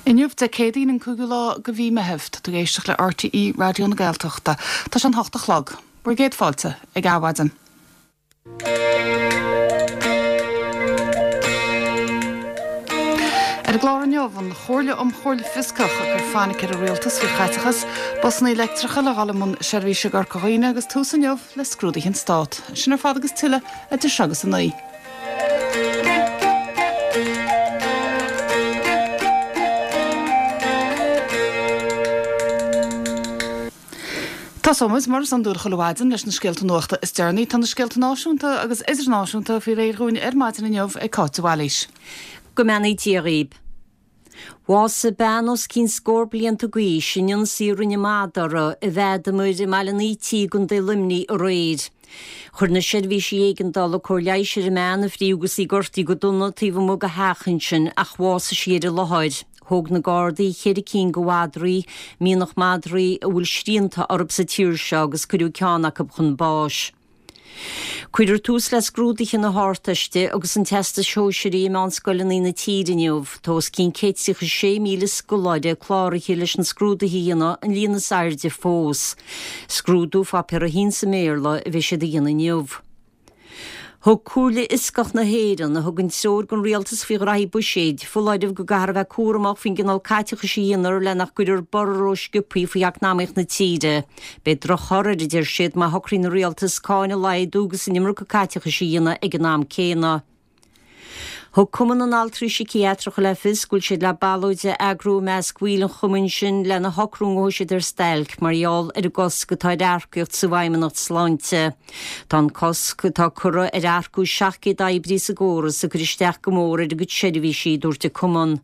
Inniu, Dé Céadaoin an cúigiú lá de mhí Meitheamh, tá tú ag éisteacht le RTÉ Raidió na Gaeltachta. Tá sé an hocht a chlog. Bhur gcéad fáilte ag Adhmhaidin. Ar an gclár inniu, an Chomhairle um Chomhairle Fioscach ag cur fainic ar an rialtas faoi chaiteachas, busanna leictreacha le dhul i mbun seirbhíse i gCorca Dhuibhne agus tús inniu le scrúduithe an Stát. Sin ar fad agus tuilleadh idir seo agus a 9. Tosóimid, mar is iondúil chuile mhaidin, leis na scéalta nuachta is deireanaí. Tá na scéalta náisiúnta agus idirnáisiúnta faoi réir dhúinn ar maidin inniu ag Cáit de Bhailís. Go mbeannaí Dia dhaoib. Bhásaigh bean os cionn scór blianta d'aois in ionsaí a rinne madadh uirthi i bhFeadamair i mBaile an Ítigh i gContae Luimnigh aréir. Chuir na seirbhísí éigeandála cóir leighis ar an mbean a fríodh agus í gortaithe go dona taobh amuigh de theach ansin ach bhásaigh sí ar an láthair. Thóg na Gardaí cheithre cinn de mhadraí, mianach madraí a bhfuil srianta orthu sa tír seo agus cuireadh ceann acu chun báis. Cuirfear tús le scrúduithe na hArdteiste agus an Teastais Shóisearaigh i meánscoileanna na tíre inniu. Tá os cionn 136,000 scoláire cláraithe leis na scrúduithe a dhéanamh, an líon is airde fós. Scrúdú Pháipéar 1 sa mBéarla a bheidh siad a dhéanamh inniu. Thug Comhairle Fhioscach na hÉireann, a thugann treoir don rialtas faoi ghraithí buiséid, foláireamh go gcaithfear a bheith cúramach faoin gcineál caiteachais a dhéanfar le nach gcuirfear borradh rósciobtha faoi eacnamaíocht na tíre. Beidh drochthoradh air, a deir siad, má shocraíonn an rialtas cáin a laghdú agus an iomarca caiteachais a dhéanamh ag an am céanna. Thug Cumann na nAltraí Síciatracha le fios go bhfuil siad le ballóid a eagrú i measc bhaill an chumainn sin lena shocrú an ngabhfaidh siad ar stailc mar gheall ar an gcosc atá ar earcaíocht sa bhFeidhmeannacht Sláinte. Tá an cosc atá curtha ar earcú 700 oibrí sa gcóras ag cur isteach go mór ar a gcuid seirbhísí, a dúirt an cumann.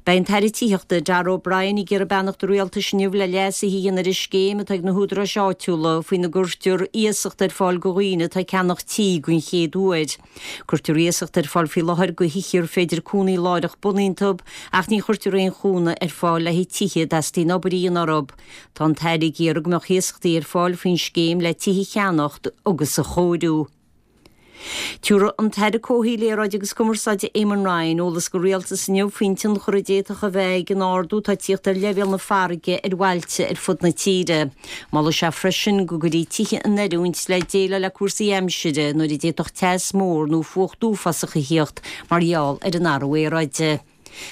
Beidh an tAire Tithíochta, Darragh O'Brien, ag iarraidh beannacht an Rialtais inniu le leasuithe a dhéanamh ar an scéim atá ag na húdaráis áitiúla faoina gcuirtear iasacht ar fáil do dhaoine atá ag ceannach tí den chéad uair. Cuirtear iasacht ar fáil faoi láthair do thithe ar féidir cónaí láithreach bonn iontu ach ní chuirtear aon chúnamh ar fáil le haghaidh tithe a dteastaíonn obair a dhéanamh orthu. Tá an tAire ag iarraidh go mbeadh iasachtaí ar fáil faoin scéim le tithe a cheannacht agus a chóiriú. Tabharfaidh an tAire Comhshaoil, Aeráide agus Cumarsáide Eamon Ryan eolas don Rialtas inniu faoin tionchar a d'fhéadfadh a bheith ag an ardú atá ag tíocht ar leibhéal na farraige ar bhailte ar fud na tíre. Molfaidh sé freisin go gcuirfí tithe in oiriúint le déileáil le cúrsaí aimsire nuair a d'fhéadfadh teas mór nó fuacht uafásach a thíocht mar gheall ar an athrú aeráide.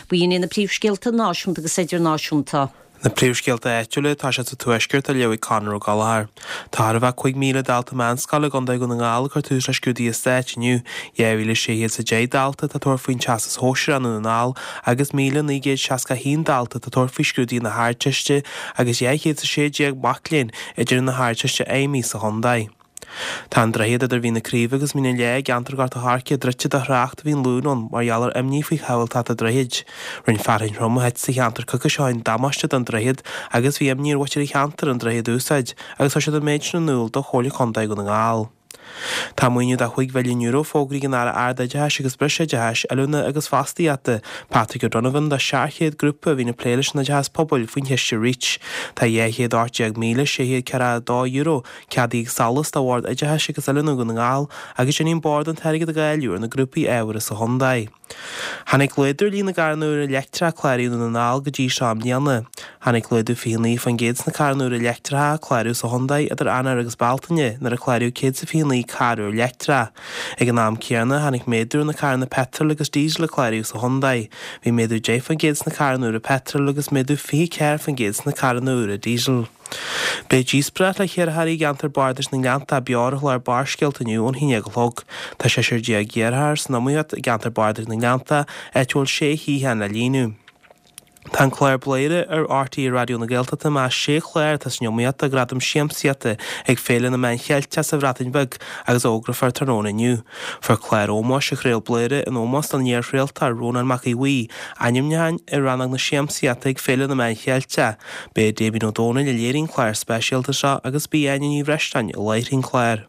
B'in iad na príomhscéalta náisiúnta agus idirnáisiúnta. Na príomhscéalta áitiúla, tá siad sa Tuaisceart á léamh ag Conor Ó Gallchóir. Tá chóir a bheith 5,000 dalta meánscoile i gContae Dhún na nGall ag cur tús le scrúduithe stáit inniu. 2,610 dalta atá ag tabhairt faoin Teastas Shóisearach i nDún na nGall agus 1,961 dalta atá ag tabhairt faoi scrúduithe na hArdteiste agus 216 mac léinn ag déanamh na hArdteiste Feidhmí sa chontae. Tá an droichead idir Mhín na Craoibhe agus Mín an Leá i gceantar Ghort an Choirce druidte do thrácht ó bhí an Luan ann mar gheall ar imní faoi shábháilteacht an droichid. Rinne fearthainn throm a thit sa cheantar coicís ó shin damáiste don droichead agus bhí imní ar mhuintir an cheantair an droichead a úsáid agus chuir siad an méid sin in iúl do Chomhairle Contae Dhún na nGall. Tá maoiniú de €5 mhilliún fógraithe ag an Aire Ard-Oideachais agus Breisoideachais, Oiliúna agus Fostaíochta, Patrick O'Donovan do 700 grúpa a bhíonn ag plé leis an oideachas pobail faoin chiste Reach. Tá €218,642 Ceadaithe ag SOLAS do Bhord Oideachais agus Oiliúna Dhún na nGall agus déanfaidh an Bord an t-airgead a dháileadh ar na grúpaí ábhartha sa chontae. Tháinig laghdú ar líon na gcarranna úra leictreacha a cláraíodh i nDún na nGall go dtí seo i mbliana. Tháinig laghdú 29% sna carranna úra leictreacha a cláraíodh sa chontae idir Eanáir agus Bealtaine nuair a cláraíodh 129 carr úr leictreach. Ag an am céanna, tháinig méadú ar na carranna peitril agus díosail a cláraíodh sa chontae. Bhí méadú 10% sna carranna úra peitril agus méadú 24% sna carranna úra díosail. Beidh díospóireacht le hiarrthóirí i gceantar bardais na nGleanntach beo ar an chlár Barrscéalta inniu ón 11 a chlog. Tá seisear iarrthóir san iomaíocht i gceantar bardais na nGleanntach, áit a bhfuil sé shuíochán le líonadh. Tá an clár Bladhaire ar RTÉ Raidió na Gaeltachta i measc sé chlár atá san iomaíocht do Ghradam Siamsaíochta ag Féile na Meán Cheilteach sa Bhreatain Bheag agus a fhógrófar tráthnóna inniu. Fuair clár ómóis a chraol Bladhaire in ómós don iar-chraoltóir Rónán Mac Aodha Bhuí, ainmniúchán i rannóg na siamsaíochta ag Féile na Meán Cheilteach. B'é Damien Ó Dónaill a léirigh an clár speisialta seo agus b'í Áine Ní Bhreisleáin a láithrigh an clár.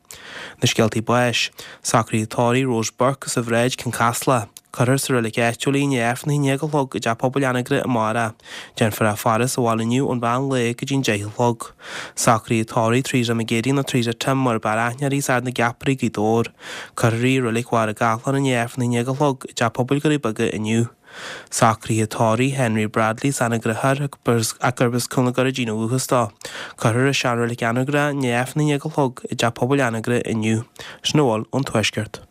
Na scéaltaí báis. Socruithe tórraimh Rose Burke as an Bhráid, Cionn Caslach. Cuirfear sa reilig áitiúil í i ndiaidh Aifreann a 11 a chlog i dTeach Pobail Anagaire amárach. Déanfar í a faire sa bhaile inniu ón mheán lae go dtí an 10 a chlog. Socruithe tórraimh Teresa McGeady nó Teresa Tim mar ab fhearr aithne uirthi as Ard na gCeapairí, Gaoth Dobhair. Cuirfear í i reilig Mhachaire Gathlán i ndiaidh Aifreann a 11 a chlog i dTeach Pobail Dhoirí Beaga inniu. Socruithe tórraimh Henry Bradley as Anagaire Thoir ach gurb as Cúil na gCurraidín ó dhúchas dó. Cuirfear i Seanreilig Anagaire i ndiaidh Aifreann a haon déag a chlog i dTeach Pobail Anagaire inniu. Sin a bhfuil ón Tuaisceart.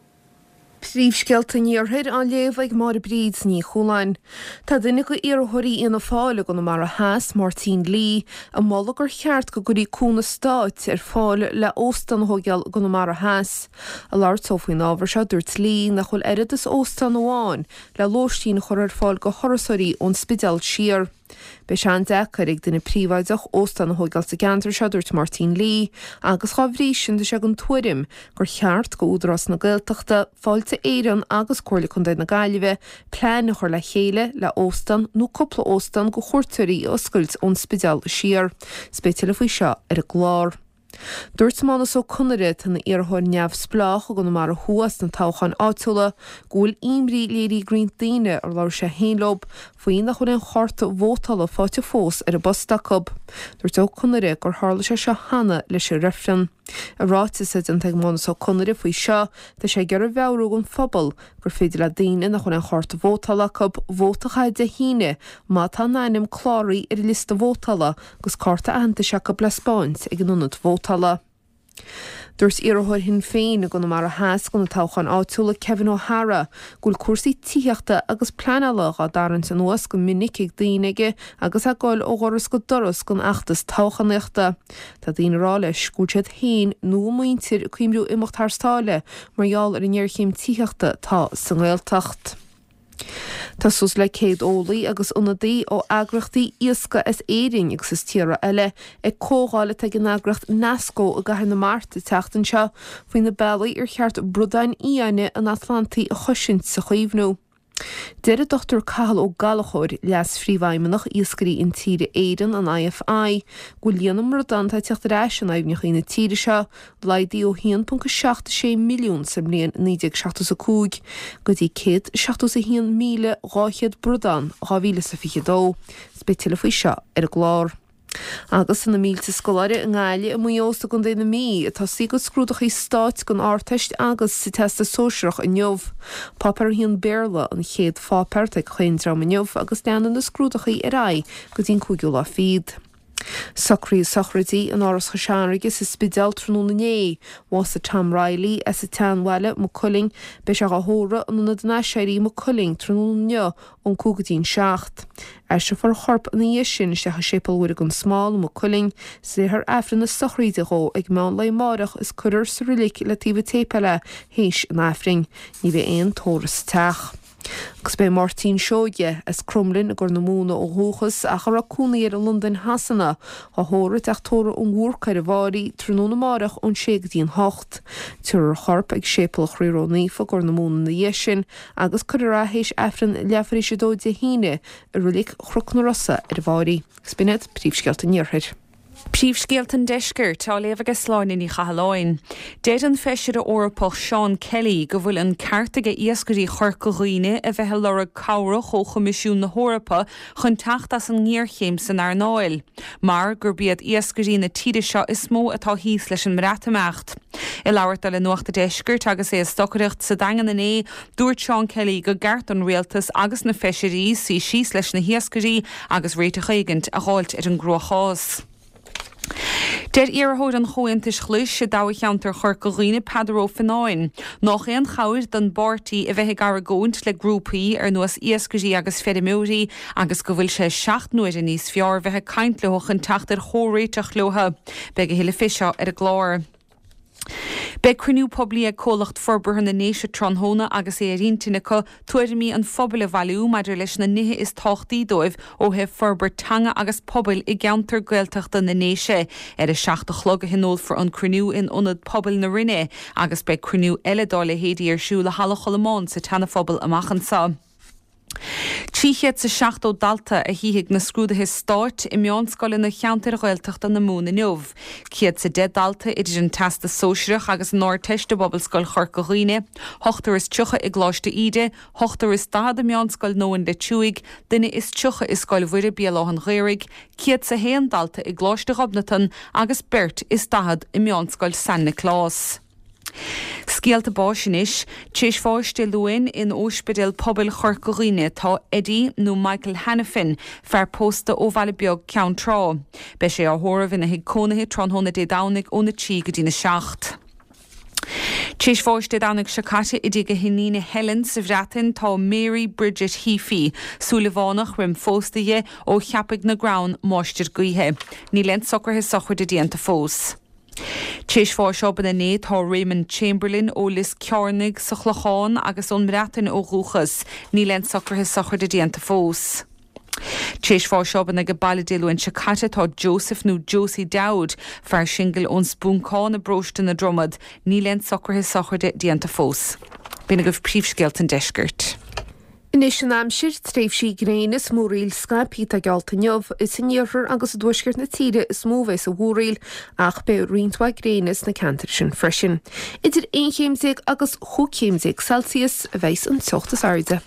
Príomhscéalta an Iarthair á léamh ag Máire Bríd Ní Chualáin. Tá duine de iarrthóirí Fhianna Fáil i gConamara Theas, Máirtín Lee, ag moladh gur cheart go gcuirfí cúnamh stáit ar fáil le óstán a thóigeáil i gConamara Theas. Ag labhairt dó faoin ábhar seo, dúirt Lee nach bhfuil oiread is óstán amháin le lóistín a chur ar fáil go thurasóirí ón Spidéal siar. Beidh sé an-deacair ag duine príobháideach óstán a thóigeáil sa gceantar seo, dúirt Máirtín Lee, agus dhá bhrí sin tá sé den tuairim gur cheart go Údarás na Gaeltachta, Fáilte Éireann agus Comhairle Contae na Gaillimhe plean a chur le chéile le óstán nó cúpla óstán go chuairteoirí a oscailt ón Spidéal siar. 'S beidh tuilleadh faoi seo ar an gclár. Dúirt Mánus Ó Conaire, atá ina iarrthóir neamhspleách i gConamara Thuaidh sna toghcháin áitiúla, go bhfuil imní léirithe ag roinnt daoine ar labhair sé féin leo faoi nach bhfuil aon chárta vótála faighte fós ar an bpost acu. Dúirt Ó Conaire gur tharla sé seo cheana leis an reifreann. I ráiteas atá déanta ag Mánus Ó Conaire faoi seo, tá sé ag iarraidh mheabhrú don phobal gur féidir le daoine nach bhfuil aon chárta vótála acu vóta a chaitheamh Dé hAoine má tá a n-ainm cláraithe ar an liosta vótála agus cárta aitheantais acu le 'spáint ag an ionad vótála. Dúirt iarrthóir Shinn Féin i gConamara Theas do na toghcháin áitiúla, Kevin O'Hara, go bhfuil cúrsaí tithíochta agus pleanála dhá dtarraingt anuas go minic ag daoine aige agus é ag goil ó dhoras go doras don fheachtas toghchánaíochta. Tá daoine ag rá leis go bhfuil siad féin nó a muintir ag cuimriú imeacht thar sáile mar gheall ar an ngéarchéim tithíochta atá sa nGaeltacht. Tá suas le 100 eolaí agus ionadaí ó eagraíochtaí iascaigh as Éirinn agus as tíortha eile ag comhdháil atá ag an eagraíocht Nasco i gCathair na Mart an tseachtain seo faoi na bealaí ar cheart bradáin fhiáine an Atlantaigh a chosaint 's a chaomhnú. Deir an Dr Cathal Ó Gallchóir, Leas-Phríomhfheidhmeannach Iascairí Intíre Éireann, an IFI, go bhfuil líon na mbradán atá ag teacht ar ais in aibhneacha na tíre seo laghdaithe ó 1.76 milliún sa mbliain 1975 go dtí 171,200 bradán 2022. 'S beidh tuilleadh faoi seo ar an gclár. Agus tá na mílte scoláire i nGaillimh, i Maigh Eo 's i gContae na Mí ag tosaí a gcuid scrúdachaí stáit don Ardteist agus sa Teastas Sóisearach inniu. Páipéar 1 Béarla an chéad pháipéar atá ag chaon dream inniu agus leanfaidh na scrúdachaí ar aghaidh go dtí an cúigiú lá fichead. Socruithe sochraide in Áras Chois Fharraige sa Spidéal tráthnóna inné. Bhásaigh Tom Reilly as an tSeanbhaile, Maigh Cuilinn. Beidh sé dhá thórramh in Ionad an Aiséirí, Maigh Cuilinn, tráthnóna inniu ón 5 go dtí an 7. Aistreofar a chorp ina dhiaidh sin isteach i Séipéal Mhuire gan Smál i Maigh Cuilinn, 's léifear Aifreann na sochraide dhó ag meán lae amáireach is cuirfear sa roilig le taobh an tséipéil é théis an Aifrinn. Ní bheidh aon tórramh sa teach. Agus beidh Máirtín Seoige, as Cromghlinn i gCorr na Móna ó dhúchas ach a raibh cónaí air i Londain Shasana, á thórramh i dTeach Tórraimh an Bhúrcaigh ar an bhFáirí tráthnóna amáireach ón sé go dtí an hocht. Tabharfar a chorp ag Séipéal Chroí Ró-Naofa i gCorr na Móna ina dhiaidh sin agus cuirfear é théis Aifreann leathuair tar éis a dó Dé hAoine i Roilig Chnoc na Rosa ar an bhFáirí. Agus b'in iad príomhscéalta an Iarthair. Príomhscéalta an Deiscirt á léamh aige Sláine Ní Chathalláin. Deir an Feisire Eorpach Seán Kelly go bhfuil an ceart aige iascairí Chorca Dhuibhne a bheith ag lorg cabhrach ó Choimisiún na hEorpa chun teacht as an ngéarchéim san earnáil, mar gurb iad iascairí na tíre seo is mó atá thíos leis an mBreatimeacht. Ag labhairt dó le Nuacht an Deiscirt agus é ag stocaireacht sa Daingean inné, dúirt Seán Kelly gur gceart don rialtas agus na feisirí suí síos leis na hiascairí agus réiteach éigint a dh'fháilt ar an gcruachás. Deir iarrthóir an Chomhaontais Ghlais i dtoghcheantar Chorca Dhuibhne, Peadar Ó Fionnáin, nách aon chabhair don bpáirtí a bheith ag argóint le grúpaí ar nós iascairí agus feirmeoirí agus go bhfuil sé seacht n-uaire níos fearr bheith ag caint leo chun teacht ar chomhréiteach leo. Beidh a thuilleadh fé seo ar an gclár. Beidh cruinniú poiblí ag Comhlacht Forbartha na nDéise tráthnóna agus é ar intinn acu tuairimí an phobail a bhailiú maidir leis na nithe is tábhachtaí dóibh ó thaobh forbairt teanga agus pobail i gceantar Gaeltachta na nDéise. Ar a 7 a chlog a thionólfar an cruinniú in Ionad Pobail na Rinne agus beidh cruinniú eile dá leithéidí ar siúl i Halla Cholmáin sa tSeanaphobal amach anseo. 370 dalta a shuífidh na scrúduithe stáit i meánscoileanna cheantair Ghaeltachta na Mumhan inniu. 110 dalta idir an Teastas Sóisearach agus an Ardteist i bPobalscoil Chorca Dhuibhne, ochtar is 30 i gColáiste Íde, ochtar is 40 i Meánscoil Nóin Leitriúigh, duine is 30 i Scoil Mhuire Béal Átha'n Ghaorthaidh, 101 dalta i gColáiste Ghobnatan agus beirt is 40 i Meánscoil San Nioclás. Scéalta báis anois. T'éis bháis Dé Luain in Óispidéal Pobail Chorca Dhuibhne tá Eddie nó Michael Hanafin, fear pósta ó Bhaile Beag, Ceann Trá. Beidh sé á thórramh ina thigh cónaithe tráthnóna Dé Domhnaigh óna 3 go dtína 7. T'éis bháis Dé Domhnaigh seo caite i dtigh a hiníne Helen sa Bhreatain tá Mary Bridget Heaphy, Súilleabhánach roim phósta dhi, ó Cheapaigh na gCrann, Máistir Gaoithe. Níl aon socruithe sochraide déanta fós. T'éis bháis obann inné tá Raymond Chamberlain ó Lios Cearnaigh sa Chlochán agus ón mBreatain ó dhúchas. Níl aon socruithe sochraide déanta fós. T'éis bháis obann age baile Dé Luain seo caite tá Joseph nó Josie Dowd, fear singil ón Spúncán i bparóiste na Dromad. Níl aon socruithe sochraide déanta fós. B'in agaibh príomhscéalta an deiscirt. Anois an aimsir, tréimhsí gréine is múraíl scaipthe atá geallta inniu. Is in iarthar agus i dtuaisceart na tíre is mó a bheas an mhúraíl, ach beidh roinnt mhaith gréine sna ceantair sin freisin. Idir 11 chéim agus 15 chéim Celsius a bheas an teocht is airde.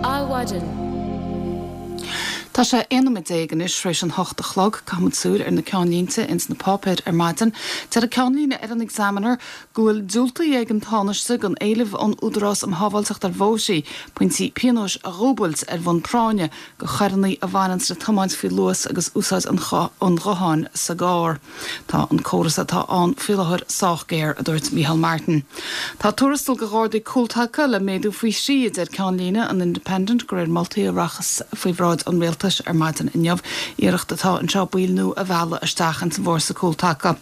Adhmhaidin. Tá sé 11 nóiméad anois tar éis an hocht a chlog. Caithfimid súil ar na ceannlínte ins na páipéir ar maidin. Deir an ceannlíne ar an Examiner go bhfuil diúltaithe ag an Tánaiste don éileamh ón Údarás um Shábháilteacht ar Bhóithre pointí pionóis a dhúbailt ar bhonn práinne do choireanna a bhaineanns le tiomáint faoi luas agus úsáid an ghutháin sa gcarr. Tá an córas atá ann faoi láthair sách géar, a dúirt Micheál Martin. Tá tuarastal do Ghardaí Cúltaca le méadú faoi thrí, a deir ceannlíne an Independent, de réir moltaí a rachas faoi bhráid an Rialtais ar maidin inniu. Iarracht atá anseo baill nua a mhealladh isteach ins an bhfórsa cúltaca.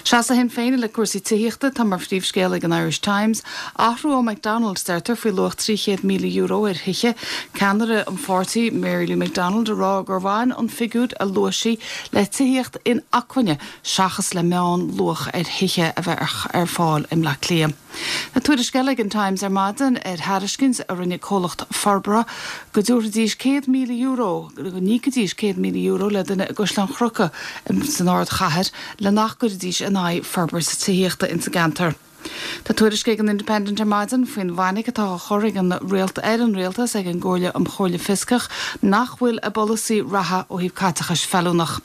Seasamh Shinn Féin i leith cúrsaí tithíochta atá mar phríomhscéal ag an Irish Times. Athrú ó McDonald, deirtear, faoi luach €300,000 ar thithe. Ceannaire an pháirtí, Mary Lou McDonald, ag rá gur bhain an figiúr a luaigh sí le tithíocht inacmhainne seachas le meánluach ar thithe a bheith ar fáil i mBleá Cliath. Tá tuairisc eile ag an Times ar maidin ar thairiscint a rinne comhlacht forbartha go dtabharfaidís €100,000, go n-íocfaidís €100,000 le duine i gCaisleán Chnuca san ardchathair le nach gcuirfidís in aghaidh forbairt tithíochta ins an gceantar. Tá tuairisc ag an Independent ar maidin faoin bhfainic atá á chur ag an ar an Rialtas ag an gComhairle um Chomhairle Fioscach nach bhfuil a bpolasaí reatha ó thaobh caiteachais feiliúnach.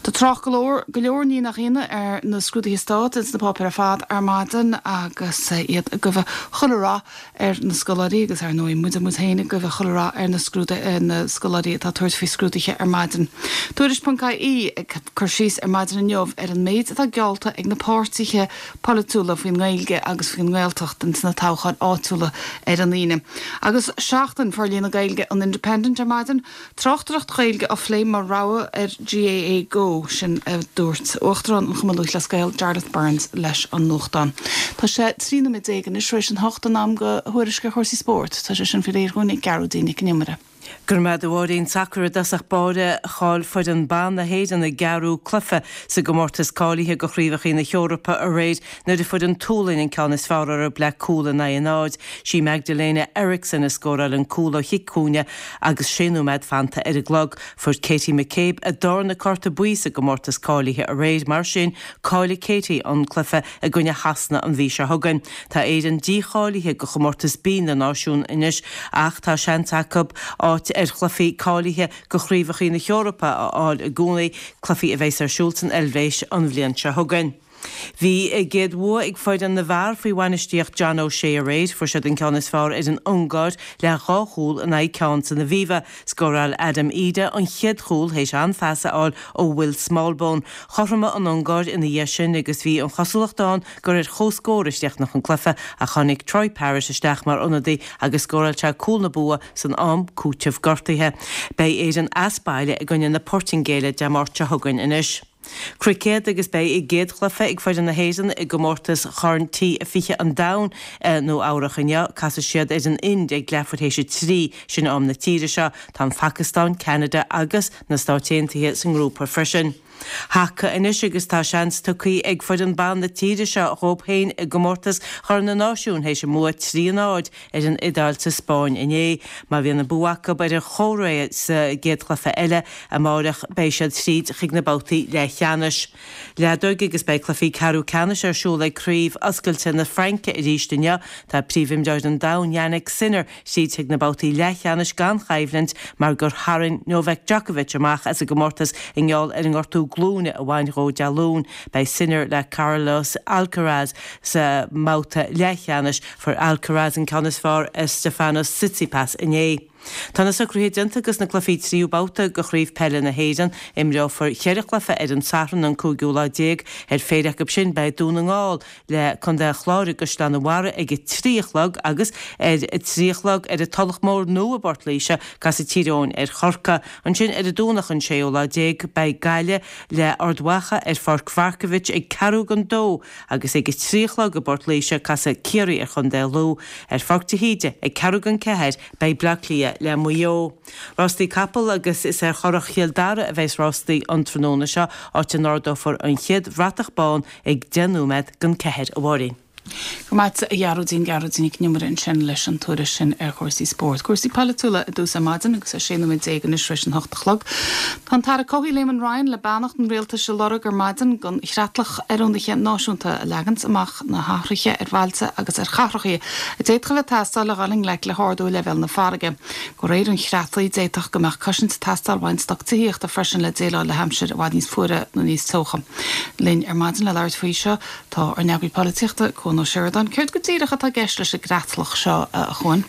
Tá trácht go leor, go leor ní nach ionadh, ar na scrúduithe stáit ins na páipéir ar fad ar maidin agus iad ag guibhe chuile rath ar na scoláirí agus ar ndóigh muide muid féin ag guibhe chuile rath ar na scrúduithe, na scoláirí atá ag tabhairt faoi scrúduithe ar maidin. Tuairisc ponc ie ag cur síos ar maidin inniu ar an méid atá geallta ag na páirtithe polaitiúla faoin nGaeilge agus faoin nGaeltacht ins na toghcháin áitiúla ar an Aoine. Agus Seachtain Forlíonadh Gaeilge an Independent ar maidin, tráchtaireacht Ghaeilge á phlé mar rogha ar GAA Go, sin a dúirt Uachtarán an Chumainn Lúthchleas Gael, Jarlath Burns leis an nuachtán. Tá sé 13 nóiméad anois tar éis an hocht, an am do thuairisc ar chúrsaí spóirt. Tá sé sin faoi réir dhúinn ag Gearóidín Nic an Iomaire. Go raibh maith agat a Mháirín. Sacar i dtosach báire, chaill foireann ban na hÉireann a gceathrú cluiche sa gcomórtas cáilithe do Chraobhacha na hEorpa aréir nuair a fuair an tSualainn an ceann is fearr orthu le cúl in aghaidh a náid. Sí Magdalena Eriksson a scóráil an cúl ó chic cúinne agus sé nóiméad fanta ar an gclog. Fuair Katie McCabe a darna cárta buí sa gcomórtas cáilithe aréir, mar sin caillfidh Katie an cluiche i gcoinne Shasana an mhí seo chugainn. Tá Éirinn dícháilithe do chomórtas B na Náisiún anois ach tá seans acu áit ar chluichí cáilithe do Chraobhacha na hEorpa a fháil i gcónaí, cluichí a bheas ar siúl san Eilvéis an bhliain seo chugainn. Bhí a gcéad bhua ag foireann na bhfear faoi bhainistíocht John O'Shea aréir. Fuair siad an ceann is fearr ar an Ungáir le dhá chúl in aghaidh ceann san Aviva. Scóráil Adam Idah an chéad chúl théis an-phas a fháil ó Will Smallbone. Chothromaigh an Ungáir ina dhiaidh sin agus bhí an chosúlacht ann gur ar comhscór a chríochnódh an cluiche ach tháinig Troy Parrott isteach mar ionadaí agus scóráil sé cúl na bua san am cúitimh gortaithe. Beidh Éirinn as baile i gcoinne na Portaingéile Dé Máirt seo chugainn anois. Cruicéad agus beidh a gcéad chluiche ag foireann na hÉireann i gcomórtas Chorn T20 an Domhain i Nua Eabhrach inniu. Casfaidh siad ar an Ind ag leathuair théis a trí, sin am na tíre seo. Tá an Phacastáin, Ceanada agus na Stáit Aontaithe sa ngrúpa freisin. Haca anois agus tá seans tugtha ag foireann ban na tíre seo dhóibh féin i gcomórtas Chorn na Náisiún théis a mbua 3 a 0 ar an Iodáil sa Spáinn inné. Má bhíonn an bua acu ar an Chóiré sa gcéad chluiche eile amáireach beidh siad tríd chuig na babhtaí leathcheannais. Leadóg agus beidh cluichí ceathrú ceannais ar siúl ag Craobh Oscailte na Fraince arís inniu. Tá príomhimreoir an domhain Jannik Sinner tríd chuig na babhtaí leathcheannais gan choimhlint mar gur tharraing Novak Djokovic amach as an gcomórtas i ngeall ar an ngortú glúine a bhain dhó Dé Luain. Beidh Sinner le Carlos Alcaraz sa mbabhta leathcheannais. Fuair Alcaraz an ceann is fearr ar Stefanos Tsitsipas inné. Tá na socruithe déanta dos na cluichí tríú babhta de Chraobh Peile na hÉireann. Imreofar cheithre chluiche ar an Satharn an cúigiú lá déag. Ar phéire acu sin beidh Dún na nGall le Contae an Chláir i gCaisleán an Bharraigh ag a trí a chlog agus ar a trí a chlog ar an Tulach Mhór Nua i bPort Laoise casfaidh Tír Eoghain ar Chorcaigh. Ansin ar an Domhnach an séú lá déag beidh Gaillimh le Ard Mhacha ar Pháirc Mharkievicz ag ceathrú don dó agus ag a trí a chlog i bPort Laoise casfaidh Ciarraí ar Chontae Lú. Ar Pháirc de hÍde ag ceathrú don ceathair beidh Bleá Cliath le Maigh Eo. Rástaí capall agus is ar Churrach Chill Dara a bheas rástaí an tráthnóna seo, áit a n-ardófar an chéad bhratach bán ag 10 nóiméad don ceathair, a Mháirín. Go raibh maith agat a Ghearóidín, Gearóidín Nic an Iomaire ansin leis an tuairisc sin ar chúrsaí spóirt. Cúrsaí polaitiúla i dtús ar maidin agus é 16 nóiméad anois tar éis an hocht a chlog. Tá an tAire Comhshaoil Eamon Ryan le beannacht an Rialtais a lorg ar maidin don Chreatlach Oiriúnaithe Náisiúnta a leaganns amach na hathruithe ar bhailte agus ar chathracha a d'fhéadfadh a bheith ag teastáil le dhul i ngleic le hardú leibhéal na farraige. De réir an chreatlaigh, d'fhéadfadh go mbeadh cosaint ag teastáil ó roinnt stoc tithíochta freisin le déileáil le haimsir i bhfad níos fuaire nó níos teocha. Linn ar maidin le labhairt faoi seo tá ár n-eagraí polaitíochta, Cuan Ó Seireadáin. Céard go díreach atá i gceist leis an gcreatlach seo, a Chuain?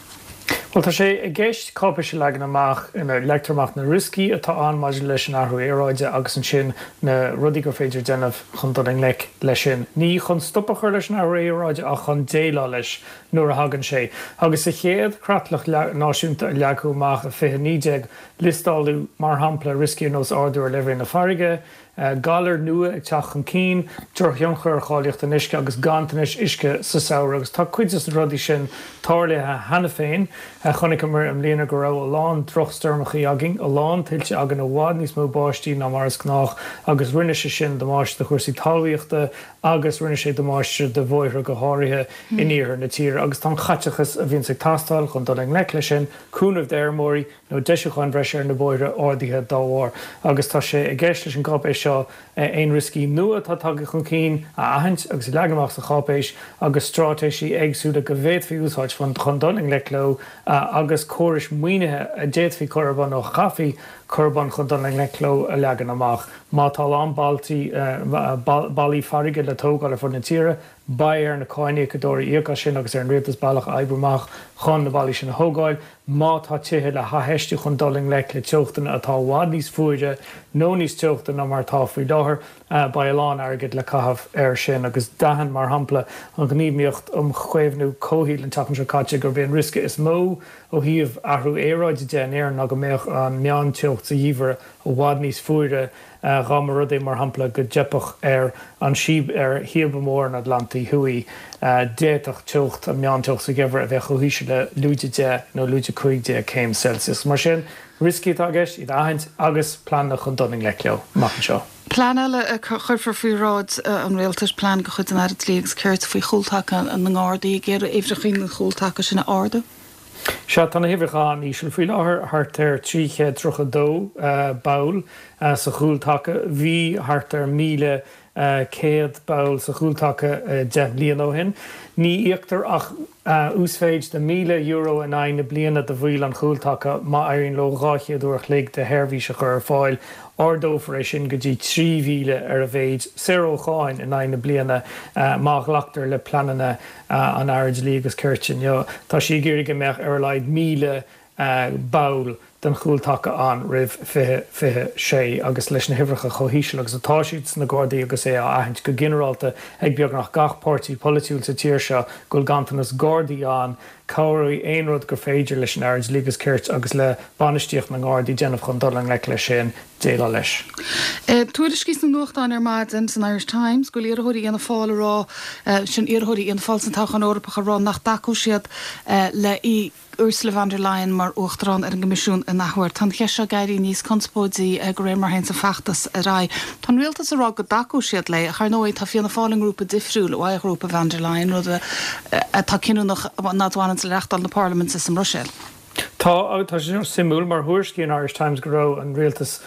Bhuel, tá sé i gceist cáipéis a leagan amach ina leagtar amach na rioscaí atá ann maidir leis an athrú aeráide agus ansin na rudaí gur féidir déanamh chun dul i ngleic leis sin. Ní chun stop a chur leis an athrú aeráide ach chun déileáil leis nuair a thagann sé. Agus sa chéad chreatlach náisiúnta a leagadh amach i 2019, liostáladh, mar shampla, rioscaí ar nós ardú ar leibhéal na farraige, galair nua ag teacht chun cinn, drochthionchar ar cháilíocht an uisce agus ganntanais uisce sa samhradh agus tá cuid de na rudaí sin tarlaithe cheana féin. Chonaiceamar i mbliana go raibh a lán drochstoirmeachaí againn, a lán tuilte againn, i bhfad níos mó báistí ná mar is gnách agus rinne sé sin damáiste do chúrsaí talmhaíochta agus rinne sé damáiste do bhóithre go háirithe in iarthar na tíre agus tá an caiteachas a bhíonns ag teastáil chun dul i ngleic leis sin, cúnamh d'fheirmeoirí, nó deisiúcháin bhreise ar na bóithre ardaithe dá bharr, agus tá sé i gceist leis an gcáipéis seo aon rioscaí nua atá tagtha chun cinn a aithint agus a leagan amach sa cháipéis agus straitéisí éagsúla go bhféadfaí úsáid chun dul i ngleic leo agus córais maoinithe a d'fhéadfaí cur ar bun nó a chaithfí cur ar bun chun dul i ngleic leo a leagan amach. Má tá a lán bailtí, ballaí farraige le tógáil ar fud na tíre, Beidh ar na cáiníocadóirí íoc as sin agus ar an rialtas bealach a oibriú amach chun na ballaí sin a thógáil. Má tá tithe le hathfheistiú chun dul i ngleic le teochtanna atá i bhfad níos fuaire nó níos teochta ná mar atá faoi láthair, beidh a lán airgid le caitheamh air sin. Agus d'aithin, mar shampla, an Ghníomhaíocht um Chaomhnú Comhshaoil an tseachtain seo caite gurb é an riosca is mó ó thaobh athrú aeráide de in Éirinn ná go mbeadh an meánteocht sa gheimhreadh i bhfad níos fuaire Dá mba rud é, mar shampla, go dteipfeadh ar an síob ar shíobadh mór an Atlantaigh Thuaidh, d'fhéadfadh teocht, an meánteocht sa gheimhreadh a bheith chomh híseal le lúide 10 nó lúide 15 céim Celsius. Mar sin, rioscaí atá i gceist, iad a aithint agus pleananna chun dul i ngleic leo amach anseo. Plean eile a chuirfear faoi bhráid an Rialtais, plean de chuid an Aire Dlí agus Cirt faoi chúltaca na nGardaí, ag iarraidh uimhreacha an chúltaca sin a ardú. Sea, tá na huimhreacha an-íseal faoi láthair, thart ar 332 ball sa chúltaca. Bhí thart ar 1,100 ball sa chúltaca 10 mbliana ó shin. Ní íoctar ach uasmhéid de €1,000 in aghaidh na bliana do bhaill an chúltaca má éiríonn leo 200 uair a chloig de sheirbhís a chur ar fáil. Ardófar é sin go dtí 3,000 ar a mhéid, saor ó cháin, in aghaidh na bliana má ghlactar le pleananna an Aire Dlí agus Cirt inniu. Tá sí ag iarraidh go mbeadh ar a laghad 1,000 ball den chúltaca ann roimh 2026 agus leis na huimhreacha chomh híseal agus atá siad sna Gardaí agus é á aithint go ginearálta ag beagnach gach páirtí polaitiúil sa tír seo go bhfuil ganntanas Gardaí ann, cabhróidh aon rud gur féidir leis an Aire Dlí agus Cirt agus le bainistíocht na nGardaí déanamh chun dul i ngleic leis sin. déileáil leis. Tuairiscí sna nuachtáin ar maidin san Irish Times go bhfuil iarrthóirí Fhianna Fáil ag rá, sin iarrthóirí Fhianna Fáil san toghchán Eorpach ag rá nach dtacóidh siad le Ursula von der Leyen mar Uachtarán ar an gCoimisiún. an athuair. Tá an cheist seo ag éirí níos conspóidí de réir mar a théanns an feachtas ar aghaidh. Tá an rialtas ag rá go dtacóidh siad léi, ach ar ndóigh tá Fianna Fáil i ngrúpa difriúil ó ghrúpa von der Leyen, rud atá cinniúnach a bhaineanns le reachtáil na parlaiminte sa mBruiséil. Tá, agus tá sé suimiúil mar thuairiscigh an Irish Times go raibh an rialtas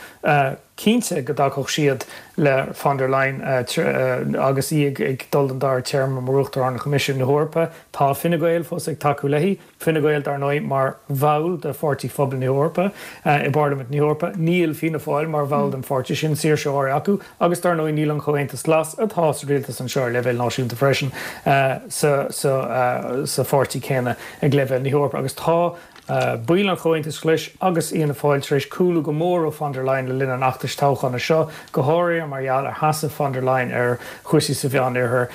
cinnte go dtacódh siad le von der Leyen agus í ag dul don dara téarma mar Uachtarán Choimisiún na hEorpa. Tá Fine Gael fós ag tacú léi. Fine Gael, dar ndóigh, mar bhall de Pháirtí Phobail na hEorpa i bParlaimint na hEorpa. Níl Fianna Fáil mar bhall den pháirtí sin, saoirse áirithe acu, agus dar ndóigh níl an Comhaontas Glas, atá sa rialtas anseo ar leibhéal náisiúnta freisin, sa pháirtí céanna ag leibhéal na hEorpa. Agus tá baill an Chomhaontais Ghlais agus Fhianna Fáil tar éis cúlú go mór ó von der Leyen le linn an fheachtais toghchána seo, go háirithe mar gheall ar sheasamh von der Leyen ar chúrsaí sa Mheánoirthear.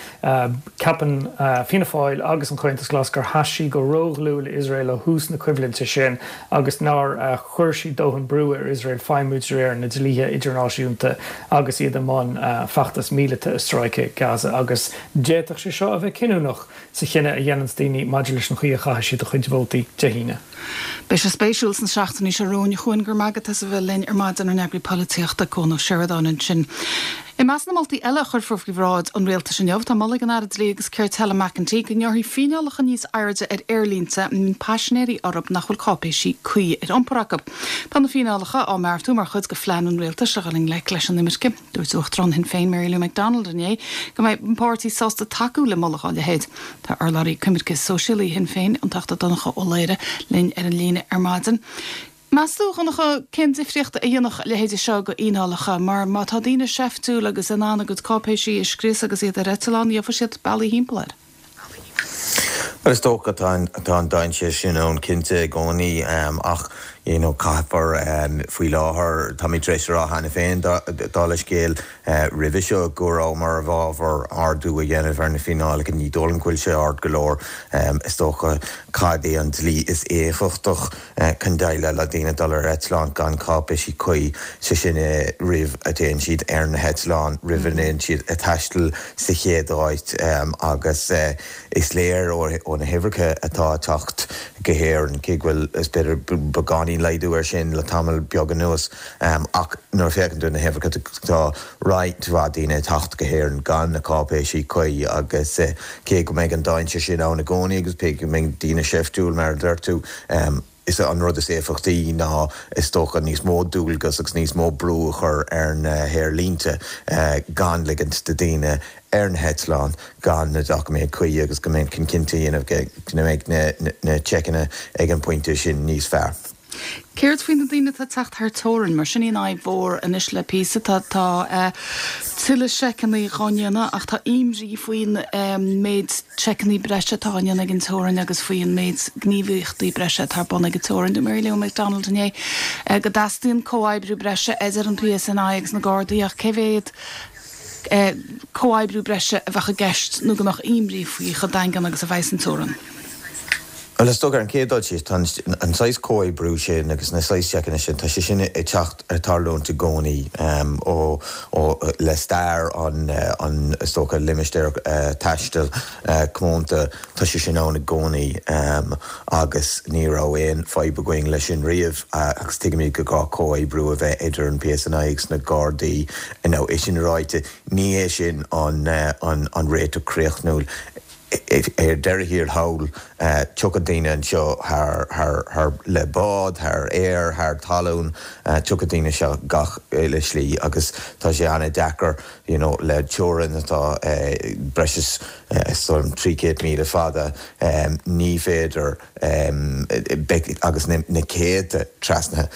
Ceapann Fianna Fáil agus an Comhaontas Glas gur sheas sí go ródhlúth le Iosrael ó thús na coimhlinte sin agus nár chuir sí dóthain brú ar Iosrael feidhmiú de réir na dlíthe idirnáisiúnta agus iad i mbun feachtas míleata i Stráice Gaza agus d'fhéadfadh sé seo a bheith cinniúnach sa chinneadh a dhéananns daoine maidir leis an chaoi a chaithfidh siad a chuid vótaí Dé hAoine. Beidh sé spéisiúil sna seachtainí seo romhainn. A Chuain, go raibh maith agat as a bheith linn ar maidin, ár n-eagraí polaitíochta, Cuan Ó Seireadáin ansin. I measc na moltaí eile a chuirfear faoi bhráid an Rialtais inniu, tá moladh ag an Aire Dlí agus Cirt Helen McEntee go ngearrfaí fíneálacha níos airde ar aerlínte a mbíonn paisinéirí orthu nach bhfuil cáipéisí cuí ar iompar acu. Tá na fíneálacha á mbeartú mar chuid de phlean an Rialtais le dhul i ngleic leis an imirce. Dúirt Uachtarán Shinn Féin Mary Lou McDonald inné go mbeidh an páirtí sásta tacú le moladh dá leithéid. Tá urlabhraí coimirce sóisialaí Shinn Féin, an Teachta Donncha Ó Laoghaire, linn ar an líne ar maidin. Meas tú, a Dhonncha, cén difríocht a dhéanfadh a leithéide seo de fhíneálacha? Mar má tá daoine seiftiúil agus in ann a gcuid cáipéisí a scrios agus iad ar eitleán, gheobhaidh siad bealaí thimpeall air. Bhuel, is dócha tá an dainséar sin ann cinnte i gcónaí ach you know caithfear faoi láthair, táimid tar éis a rá cheana féin dála scéil roimhe seo go rabhamar i bhfabhar ardú a dhéanamh ar na fíneálacha, ní dóigh liom go bhfuil sé ard go leor. Is dócha cad é an dlí is éifeachtach chun déileáil le daoine dul ar eitleán gan cáipéisí cuí, sé sin roimh a dtéann siad ar na heitleáin, roimh a ndéanann siad a taisteal sa chéad áit agus is léir ó na huimhreacha atá ag teacht go hÉirinn, cé go bhfuil is b'fhéidir beagáinín laghdú air sin le tamall beag anuas ach nuair a féachann tú ar na huimhreacha tá roinnt mhaith daoine ag teacht go hÉirinn gan na cáipéisí cuí agus cé go mbeidh an dainséar sin ann i gcónaí agus cé go mbeidh daoine seiftiúil mar a deir tú, is é an rud is éifeachtaí ná is dócha níos mó dualgas agus níos mó brú a chur ar na haerlínte gan ligint do daoine ar na heitleáin gan na doiciméid cuí agus go mbeidh chun cinnte a dhéanamh go mbeidh na seiceanna ag an bpointe sin níos fearr. Céard faoi na daoine atá ag teacht thar teorainn? Mar sin í an fhadhb mhór anois le píosa. Tá tuilleadh seiceanna dhá ndéanamh ach tá imní faoin méid seiceanna breise atá á ndéanamh ag an teorainn agus faoin méid gníomhaíochtaí breise atá ar bun ag an teorainn. Dúirt Mary Lou McDonald inné go dteastaíonn comhoibriú breise idir an PSNI agus na Gardaí ach cé mhéad comhoibriú breise a bheadh i gceist nó go mbeadh imní faoi chomh daingean agus a bheas an teorainn. Bhuel, is dócha, ar an chéad dul síos, tá an saghas comhoibriú sin agus na saghas seiceanna sin, tá sé sin ag teacht, ag tarlúint i gcónaí ó, ó, le stair an, an, is dócha, limistéar taistil comónta, tá sé sin ann i gcónaí agus ní raibh aon fadhb againn leis sin riamh agus tuigimid go gá comhoibriú a bheith idir an PSNI agus na Gardaí. Now, é sin ráite, ní hé sin an, an, an réiteach críochnúil. Ar deireadh thiar thall, tiocfaidh daoine anseo thar, thar, thar, le bád, thar aer, thar talún, tiocfaidh daoine anseo gach uile shlí agus tá sé an-deacair you know le teorainn atá breis is 300,000 fada, ní féidir, beidh, agus na céadta trasnaithe,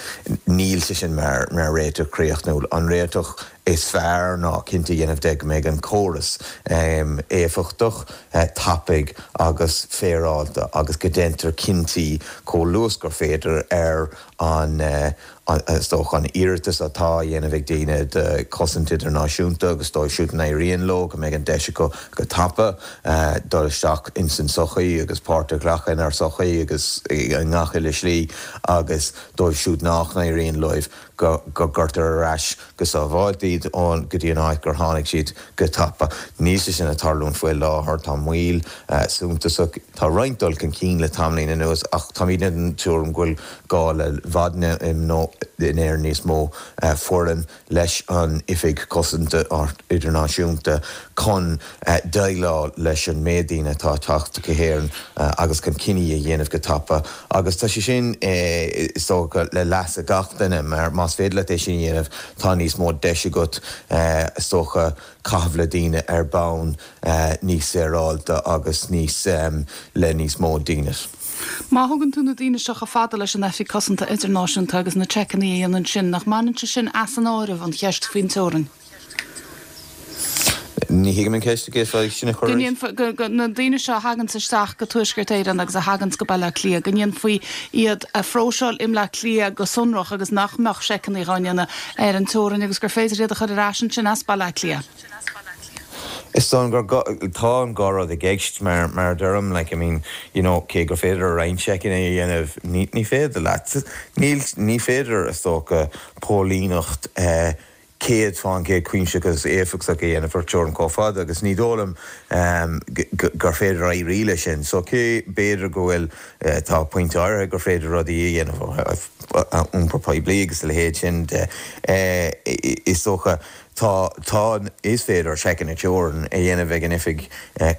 níl sé sin mar, mar réiteach críochnúil. An réiteach is fearr ná cinnte a dhéanamh de go mbeidh an córas éifeachtach, tapaidh agus féaráilte agus go ndéantar cinntí chomh luath is gur féidir ar an. Is dócha an iarratas atá á dhéanamh ag daoine do chosaint idirnáisiúnta agus dóibh siúd a n-éiríonn leo go mbeidh an deis acu go tapa dul isteach ins an tsochaí agus páirt a ghlacadh inár sochaí agus i ngach uile slí agus dóibh siúd nach n-éiríonn leo go gcuirtear ar ais go sábháilte iad go dtí an áit gur tháinig siad go tapa. Níl sé sin ag tarlúint faoi láthair. Tá moill suntasach. Tá roinnt dul chun cinn le tamaillín anuas ach táimidne den tuairim go bhfuil gá le i bhfad in Éirinn níos mó foireann leis an Oifig Cosanta Idirnáisiúnta chun déileáil leis an méid daoine atá ag teacht go hÉirinn agus chun cinní a dhéanamh go tapa agus tá sé sin is dócha le leasa gach duine mar más féidir leat é sin a dhéanamh tá níos mó deis agat is dócha caitheamh le daoine ar bonn níos saoráilte agus níos le níos mó dínit. Má thugann tú na daoine seo chomh fada leis an Oifig Cosanta Idirnáisiúnta agus na seiceanna a dhéanamh ansin, nach mbaineann sé sin as an áireamh an cheist faoin teorainn? Ní thuigim an cheist, an bhféadfá sin a chur arís? Go ndéanfaí, go, na daoine seo a thaganns isteach go Tuaisceart Éireann agus a thaganns go Baile Átha Cliath, go ndéanfaí iad a phróiseáil i mBleá Cliath go sonrach agus nach mbeadh seiceanna dhá ndéanamh ar an teorainn agus gur féidir iad a chur ar ais ansin as Baile Átha Cliath. Is dóigh liom gur, tá an dhá rud i gceist mar, mar a deirim, like, I mean, you know, cé gur féidir roinnt seiceanna a dhéanamh, ní, ní féidir leat, níl, ní féidir, is dócha, póilíneacht eh, 100% cuimsitheach agus éifeachtach a dhéanamh ar teorainn chomh fada agus ní dóigh liom gur féidir éirí leis sin. So cé b'fhéidir go bhfuil, tá pointe áirithe gur féidir rudaí a dhéanamh ó thaobh iompar poiblí agus a leithéid sin de, is dócha tá, tá, is féidir seiceanna teorann a dhéanamh ag an Oifig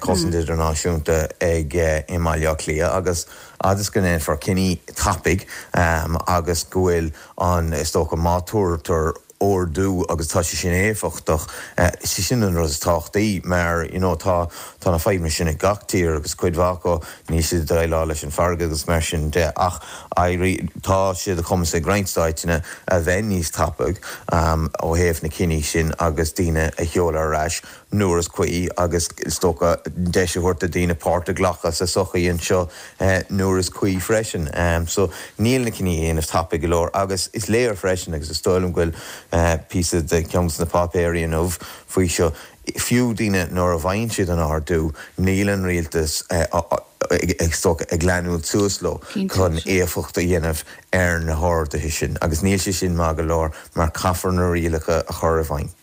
Cosanta Idirnáisiúnta ag i mBaile Átha Cliath agus fhad is go ndéanfar cinní tapaidh agus go bhfuil an, is dócha má tabhartar ordú agus tá sé sin éifeachtach, is é sin an rud is tábhachtaí mar you know tá, tá na fadhbanna sin ag gach tír agus cuid mhaith acu níl siad ag déileáil leis an bhfarraige agus mar sin de ach éirí, tá sé de chumas ag roinnt stáiteanna a bheith níos tapaidh ó thaobh na cinní sin agus daoine a sheoladh ar ais. nuair is cuí agus is dócha deis a thabhairt do daoine páirt a ghlacadh sa sochaí anseo nuair is cuí freisin. So níl na cinní á dhéanamh tapaidh go leor agus is léir freisin agus is dóigh liom go bhfuil píosa de cheann de na páipéirí inniu faoi seo, fiú daoine nuair a bhfaigheann siad an ordú níl an rialtas is dócha ag leanúint suas leo chun éifeacht a dhéanamh ar na horduithe sin agus níl sé sin maith go leor mar caithfear na rialacha a chur i bhfeidhm.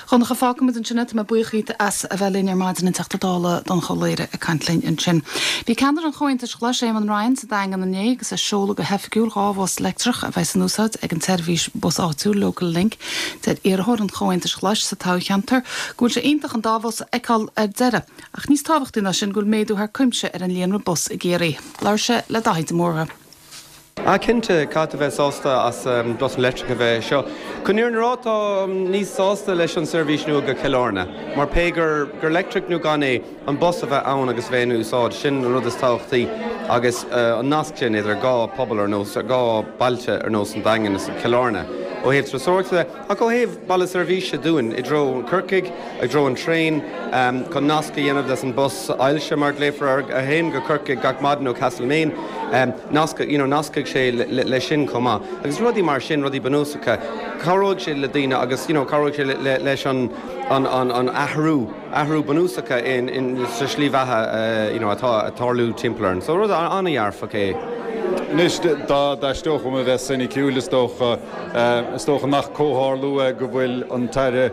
Dhonncha, fágfaimid ansin é. Tá mé buíoch dhíot as a bheith linn ar maidin, an Teachta Dála Donncha Ó Laoghaire ag caint linn ansin. Bhí ceannaire an Chomhaontais Ghlais, Éamon Ryan, sa Daingean inné agus ag seoladh go hoifigiúil 2 bhus leictreach a bheidh in úsáid ag an tseirbhís bus áitiúil, Local Link. Deir iarrthóir an Chomhaontais Ghlais sa toghcheantar go bhfuil sé iontach an dá bhus a fheiceáil ar deireadh, ach níos tábhachtaí ná sin go bhfuil méadú thar cuimse ar an líonra bus i gCiarraí. Labhair sé le Daithí de Mórdha. Ah cinnte, caithfidh tú bheith sásta as busanna leictreacha a bheith anseo. Chun an fhírinne a rá, táim níos sásta leis an seirbhís nua go Cill Airne, mar pé gur gur leictreach nó gan é, an bus a bheith ann agus bheith in úsáid, sin an rud is tábhachtaí agus an nasc sin idir dhá pobal ar nós, dhá bailte ar nós an Daingean is Cill Airne. Ó thaobh turasóireachta de, ach ó thaobh baile seirbhíse dúinn i dtreo Corcaigh, i dtreo an traein, chun nasc a dhéanamh leis an bus ailse mar a ghlaofar air, a théann go Corcaigh gach maidin ó Castlemaine, nasc, you know, nascfaidh sé leis sin chomh maith. Agus rudaí mar sin, rudaí bunúsacha, cabhróidh sé le daoine agus, you know, cabhróidh sé leis an, an, an, an athrú, athrú bunúsacha in, in, sa slí bheatha, you know, atá ag tarlú timpeall orainn. So rud an-dhearfach é. Anois, dá dtaisteodh dom a bheith soiniciúil, is dócha, Is dócha nach comhtharlú é go bhfuil an tAire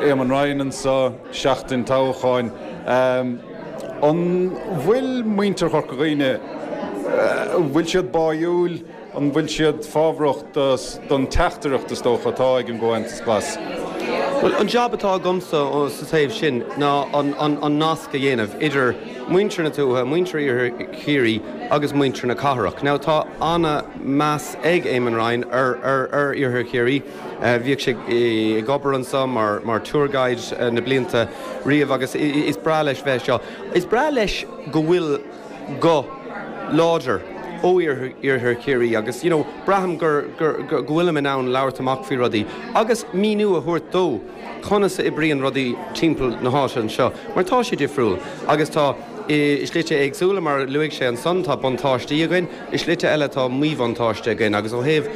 Éamon Ryan anseo, seachtain toghcháin. An bhfuil muintir Chorca Dhuibhne, an bhfuil siad báúil, an bhfuil siad fábhrach don teachtaireacht is dócha atá ag an gComhaontas Glas? Bhuel, an jab atá agamsa sa taobh sin ná an nasc a dhéanamh idir muintir na tuaithe, muintir Iarthar Chiarraí agus muintir na cathrach. Now tá ana meas ag Éamon Ryan ar ar Iarthar Chiarraí. Bhíodh sé ag obair anseo mar mar tour guide na blianta riamh agus is breá leis bheith anseo. Is breá leis go bhfuil guth láidir ó Iarthar Chiarraí agus you know braithim gur gur go bhfuilim in ann labhairt amach faoi rudaí agus míniú a thabhairt dó conas a oibríonn rudaí timpeall na háite anseo mar tá sé difriúil agus tá. I slite éagsúla, mar a luaigh sé ansan, tá buntáistí againn, i slite eile tá míbhuntáiste againn. Agus ó thaobh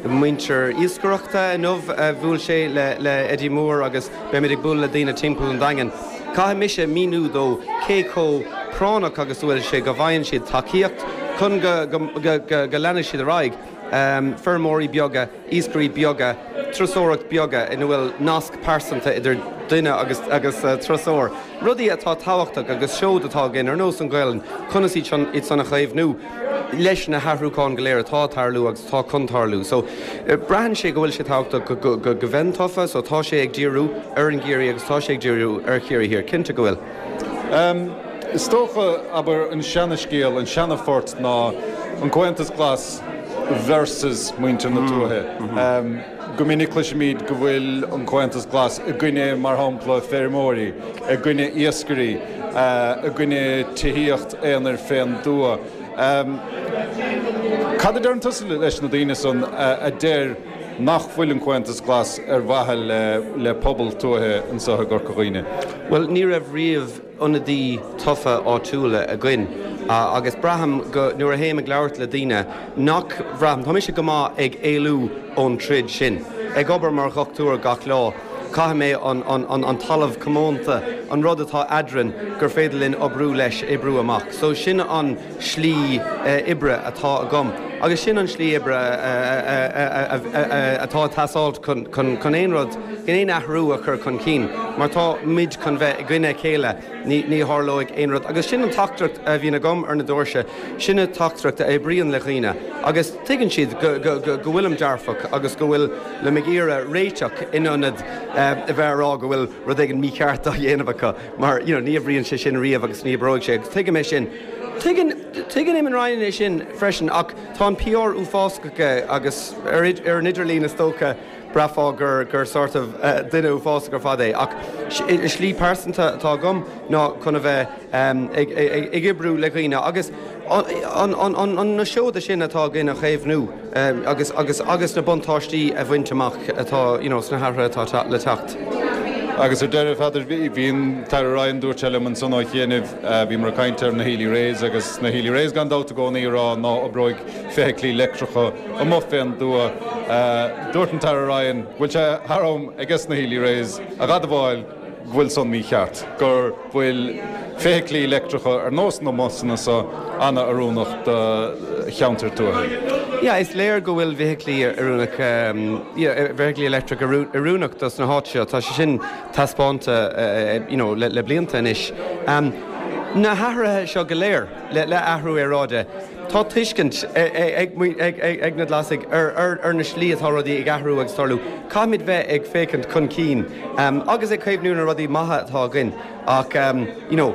muintir iascaireachta, inniu bhuail sé le Eddie Moore agus beimid ag bualadh le daoine timpeall an Daingin. Caithfidh mise míniú dó cé chomh práinneach agus a bhfuil sé go bhfaigheann siad tacaíocht chun go leanfaidh siad ar aghaidh. Feirmeoirí beaga, iascairí beaga, turasóireacht beaga ina bhfuil nasc pearsanta idir duine agus agus turasóir. Rudaí atá tábhachtach agus seod atá againn ar nós an Ghaelainn, conas iad sin iad san a chaomhnú leis na hathrúcháin go léir atá ag tarlú agus atá chun tarlú. So braitheann sé go bhfuil sé tábhachtach go go go bheinn tofa so tá sé ag díriú ar an gCiarraí agus tá sé ag díriú ar Chiarraí Thiar. Cinnte go bhfuil. Is dócha, abair, an seana-scéal, an seana-phort ná an Comhaontas Glas versus muintir na tuaithe. Go minic cloisimid go bhfuil an Comhaontas Glas i gcoinne, mar shampla, feirmeoirí, i gcoinne iascairí, i gcoinne tithíocht aonair fén dtuath. Cad a deireann tusa leis na daoine san a deir nach bhfuil an Comhaontas Glas ar mhaithe le pobal tuaithe anseo i gCorca Dhuibhne? Bhuel, ní raibh riamh ionadaí tofa áitiúla againn agus braithim go, nuair a théim ag labhairt le daoine, nach bhraithim, tá mise go maith ag éalú ón troid sin. Ag obair mar dhochtúir gach lá, caithfidh mé an talamh comónta, an rud atá eadrainn gur féidir linn oibriú leis, oibriú amach. So sin an slí oibre atá agam agus sin an slí oibre atá ag teastáilt chun aon rud, aon athrú a chur chun cinn mar tá muid chun bheith i gcoinne a chéile, ní tharlóidh aon rud. Agus sin an teachtaireacht a bhíonn agam ar na doirse, sin an teachtaireacht a oibríonn le dhaoine agus tuigeann siad go bhfuilim dearfach agus go bhfuilim ag iarraidh réiteach in ionad a bheith ag rá go bhfuil rud éigin mícheart á dhéanamh acu mar you know ní oibríonn sé sin riamh agus ní oibreoidh sé agus tuigim é sin. Tuigeann, tuigeann Eamon Ryan é sin freisin ach tá an PR uafásach aige agus ar, ar an idirlíon is dócha braithfeá gur, gur sort of duine uafásach ar fad é ach slí pearsanta atá agam ná chun a bheith ag, ag, ag oibriú le dhaoine agus an, an, an, an, na seoda sin atá againn a chaomhnú agus, agus, agus na buntáistí a bhaint amach atá, you know, sna hathruithe atá le teacht. Agus ar deireadh, Pheadair, bhí an tAire Ryan, dúirt sé liom ansan ó chianaibh, Bhíomar ag caint ar na Healy-Raes agus na Healy-Raes gan dabht i gcónaí ag rá ná oibreoidh feithiclí leictreacha amuigh fén dtuath. Dúirt an tAire Ryan go bhfuil sé thar am aiges na Healy-Raes a dh'admháil go bhfuil san mícheart, gur bhfuil feithiclí leictreacha ar nós na mbusanna so ana-oiriúnach do cheantair tuaithe. Yeah, is léir go bhfuil feithiclí oiriúnach, yeah, feithiclí leictreach oiriúnach dos na háit seo. Tá sé sin taispeánta you know le blianta anois. Na hathruithe seo go léir le athrú aeráide, tá tuiscint ag na Glasaigh ar na slí atá rudaí ag athrú agus tarlú. Caithfimid bheith ag féachaint chun cinn agus ag caomhnú na rudaí maithe atá againn ach you know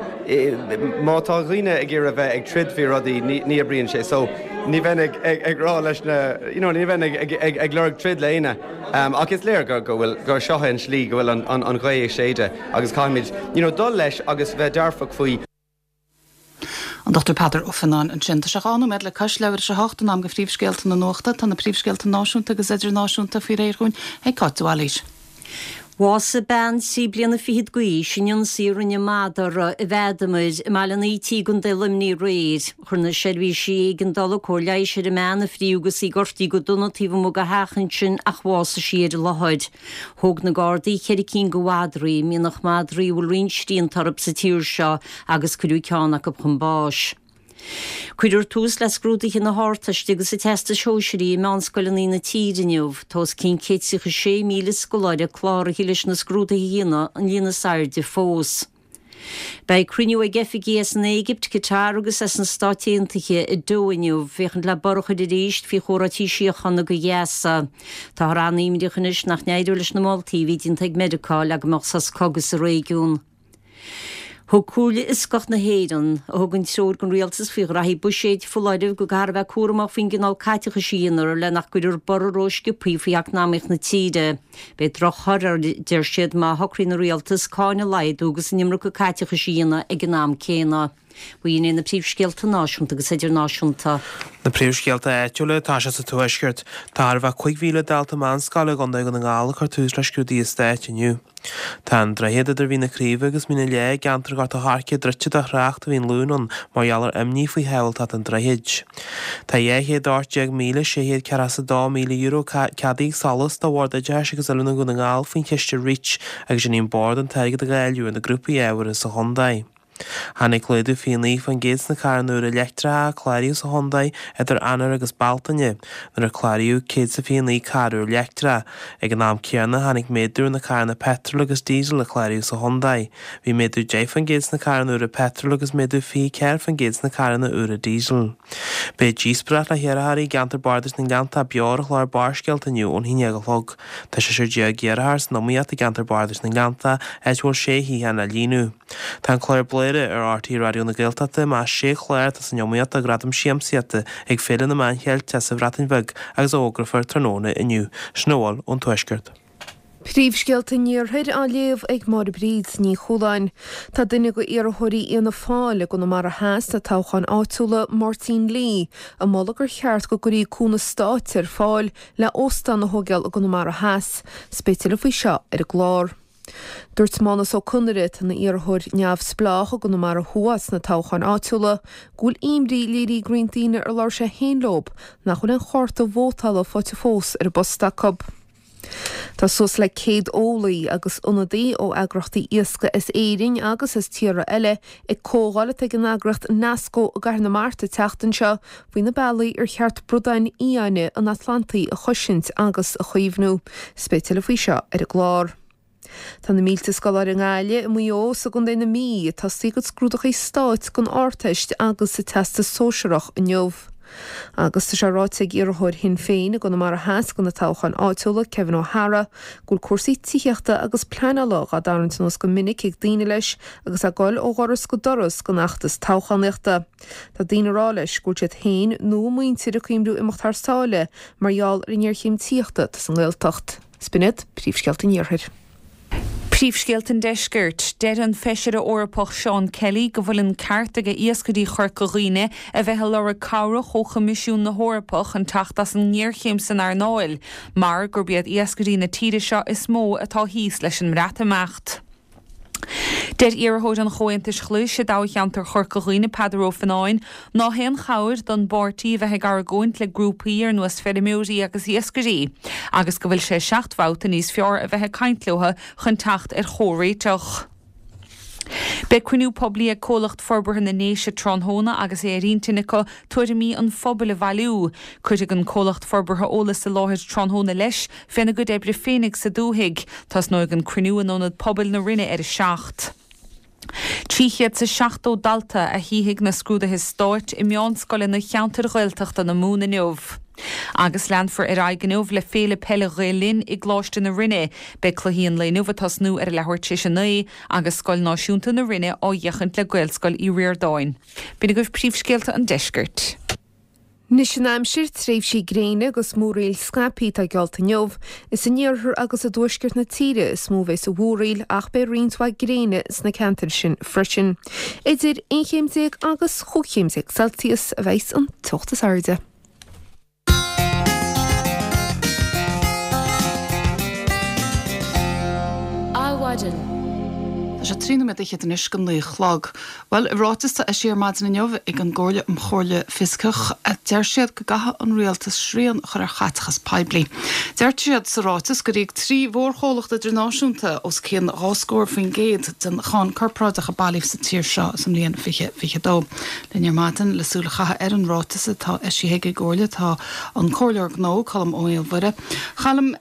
má tá dhaoine ag iarraidh bheith ag troid faoi rudaí ní oibríonn sé. So ní bheinn ag rá leis na you know ní bheinn ag lorg troid le éinne. Ach is léir go bhfuil, gur seo é an slí go bhfuil an ghaoth ag séideadh agus caithfimid, you know, dul leis agus bheith dearfach faoi. An Dr Peadar Ó Fionnáin ansin. Tá sé 2 nóiméad le cois leathuair tar éis a 8, in am do phríomhscéalta na nuachta. Tá na príomhscéalta náisiúnta agus idirnáisiúnta faoi réir dhúinn ag Cáit de Bhailís. Bhásaigh bean trí bliana fichead d'aois in ionsaí a rinne madra i bhFeadamair i mBaile an Ítigh i gContae Luimnigh aréir. Chuir na seirbhísí éigeandála cóir leighis ar an mbean a fríodh agus í gortaithe go dona taobh amuigh de theach ansin ach bhásaigh sí ar an láthair. Thóg na Gardaí cheithre cinn de mhadraí, mianach madraí a bhfuil roinnt srianta orthu sa tír seo agus cuireadh ceann acu chun báis. Cuirfear tús le scrúduithe na hArdteiste agus an Teastais Shóisearaigh i meánscoileanna na tíre inniu. Tá os cionn 136,000 scoláire cláraithe leis na scrúduithe a dhéanamh, an líon is airde fós. Beidh cruinniú ag oifigigh as an Éigipt, Qatar agus as na Stáit Aontaithe i Doha inniu féachaint le borradh a chur arís faoi chomhráití síochána do Ghaza. Táthar an-imníoch anois nach n-éireoidh leis na moltaí a bhí déanta ag Meiriceá le go mbeadh sos cogaidh sa réigiún. Thug Comhairle Fhioscach na hÉireann, a thugann treoir don rialtas faoi ghraithí buiséid, foláireamh go gcaithfear a bheith cúramach faoin gcineál caiteachais a dhéanfar le nach gcuirfear borradh rósciobtha faoi eacnamaíocht na tíre. Beidh drochthoradh air, deir siad, má shocraíonn an rialtas cáin a laghdú agus an iomarca caiteachais a dhéanamh ag an am céanna. B'in iad na príomhscéalta náisiúnta agus idirnáisiúnta. Na príomhscéalta áitiúla atá sé sa Tuaisceart. Tá chóir a bheith 5,000 dalta meánscoile i gContae Dhún na nGall ag cur tús le scrúduithe stáit inniu. Tá an droichead idir Mhín na Craoibhe agus Mín an Leá i gceantar Ghort a' Choirce druidte do thrácht ó bhí an Luan ann mar gheall ar imní faoi shábháilteacht an droichid. Tá €218,642,000 ceadaithe ag SOLAS do Bhord Oideachais agus Oiliúna Dhún na nGall faoin chiste Reach agus déanfaidh an Bord an t-airgead a dháileadh ar na grúpaí ábhartha sa chontae. Tháinig laghdú 29% sna carranna úra leictreacha a cláraíodh sa chontae idir Eanáir agus Bealtaine, nuair a cláraíodh 129 carr úr leictreach. Ag an am céanna, tháinig méadú ar na carranna peitril agus díosail a cláraíodh sa chontae. Bhí méadú 10% sna carranna úra peitril agus méadú 24% sna carranna úra díosail. Beidh díospóireacht le hiarrthóirí i gceantar Bardais na nGleanntach beo ar an chlár Barrscéalta inniu ón 11 a chlog. Tá seisear iarrthóir san iomaíocht i gceantar Bardais na nGleanntach, áit a bhfuil sé shuíochán le líonadh. Tá an clár Bladhaire ar RTÉ Raidió na Gaeltachta i measc sé chlár atá san iomaíocht do Ghradam Siamsaíochta ag Féile na Meán Cheilteach sa Bhreatain Bheag agus a fhógrófar tráthnóna inniu. Sin a bhfuil ón Tuaisceart. Príomhscéalta an Iarthair á léamh ag Máire Bríd Ní Chualáin. Tá duine de iarrthóirí Fhianna Fáil i gConamara Theas sna toghcháin áitiúla, Máirtín Lee, ag moladh gur cheart go gcuirí cúnamh stáit ar fáil le óstán a thóigeáil i gConamara Theas. 'S beidh tuilleadh faoi seo ar an gclár. Dúirt Mánus Ó Conaire, atá ina iarrthóir neamhspleách i gConamara Thuaidh sna toghcháin áitiúla, go bhfuil imní léirithe ag roinnt daoine ar labhair sé féin leo nach bhfuil aon chárta vótála faighte fós ar an bpost acu. Tá suas le 100 eolaí agus ionadaí ó eagraíochtaí iascaigh as Éirinn agus as tíortha eile ag comhdháil atá ag an eagraíocht Nasco i gCathair na Mart an tseachtain seo faoi na bealaí ar cheart bradáin fhiáine an Atlantaigh a chosaint agus a chaomhnú. 'S beidh tuilleadh faoi seo ar an gclár. Tá na mílte scoláire i nGaillimh, i Maigh Eo is i gContae na Mí ag tosaí a gcuid scrúdachaí stáit don Ardteist agus sa Teastas Sóisearach inniu. Agus tá sé ráite ag iarrthóir Shinn Féin i gConamara Theas do na toghcháin áitiúla, Kevin O'Hara, go bhfuil cúrsaí tithíochta agus pleanála dhá dtarraingt anuas go minic ag daoine leis agus é ag dul ó dhoras go doras don fheachtas toghchánaíochta. Tá daoine ag rá leis go bhfuil siad féin nó a muintir ag cuimhniú imeacht thar sáile mar gheall ar an ngéarchéim tithíochta atá sa nGaeltacht. 'S b'in iad príomhscéalta an Iarthair. Príomhscéalta an Deiscirt. Deir an Feisire Eorpach Seán Kelly go bhfuil an ceart ag iascairí Chorca Dhuibhne a bheith ag lorg cabhrach ó Choimisiún na hEorpa chun teacht as an ngéarchéim san earnáil mar gurb iad iascairí na tíre seo is mó atá thíos leis an mBreatimeacht. Deir iarrthóir an Chomhaontais Ghlais i dtoghcheantar Chorca Dhuibhne, Peadar Ó Fionnáin, ná haon chabhair don bpáirtí a bheith ag argóint le grúpaí ar nós feirmeoirí agus iascairí, agus go bhfuil sé seacht mbabhta níos fearr a bheith ag caint leo chun teacht ar chomhréiteach. Beidh cruinniú poiblí ag Comhlacht Forbartha na nDéise tráthnóna agus é ar intinn acu tuairimí an phobail a bhailiú. Cuirfidh an Comhlacht Forbartha eolas i láthair tráthnóna leis féna gcuid oibre féinig sa dúthaigh. Tosnóidh an cruinniú in Ionad Pobail na Rinne ar a 7. 370 dalta a shuífidh na scrúduithe stáit i meánscoileanna cheantair Ghaeltachta na Mumhan inniu. Agus leanfar ar aghaidh inniu le Féile Peile Ghael Linn i gColáiste na Rinne. Beidh cluichí an lae inniu ag tosnú ar a leathuair tar éis a 9 agus Scoil Náisiúnta na Rinne á fhéachaint le Gaelscoil Uí Ríordáin. B'in agaibh príomhscéalta an deiscirt. Anois an aimsir, tréimhsí gréine agus múraíl scaipthe atá geallta inniu. Is in iarthar agus i dtuaisceart na tíre is mó a bheas an mhúraíl ach beidh roinnt mhaith gréine sna ceantair sin freisin. Idir 11 chéim agus 15 chéim Celsius a bheas an teocht is airde. Adhmhaidin. Tá sé 13 nóiméad anois go 9 a chlog. Bhuel, i ráiteas atá eisithe ar maidin inniu ag an gComhairle um Chomhairle Fioscach, deir siad go gcaithfidh an rialtas srian a chur ar chaiteachas poiblí. Deir siad sa ráiteas gur íoc 3 mhórchomhlacht idirnáisiúnta os cionn 20% den cháin corparáideach a bailíodh sa tír seo sa mbliain 2022. Linn ar maidin le súil a chaitheamh ar an ráiteas atá eisithe ag an gComhairle tá an Comhairleoir Gnó, Colm Ó Maolmhuire. A Choilm,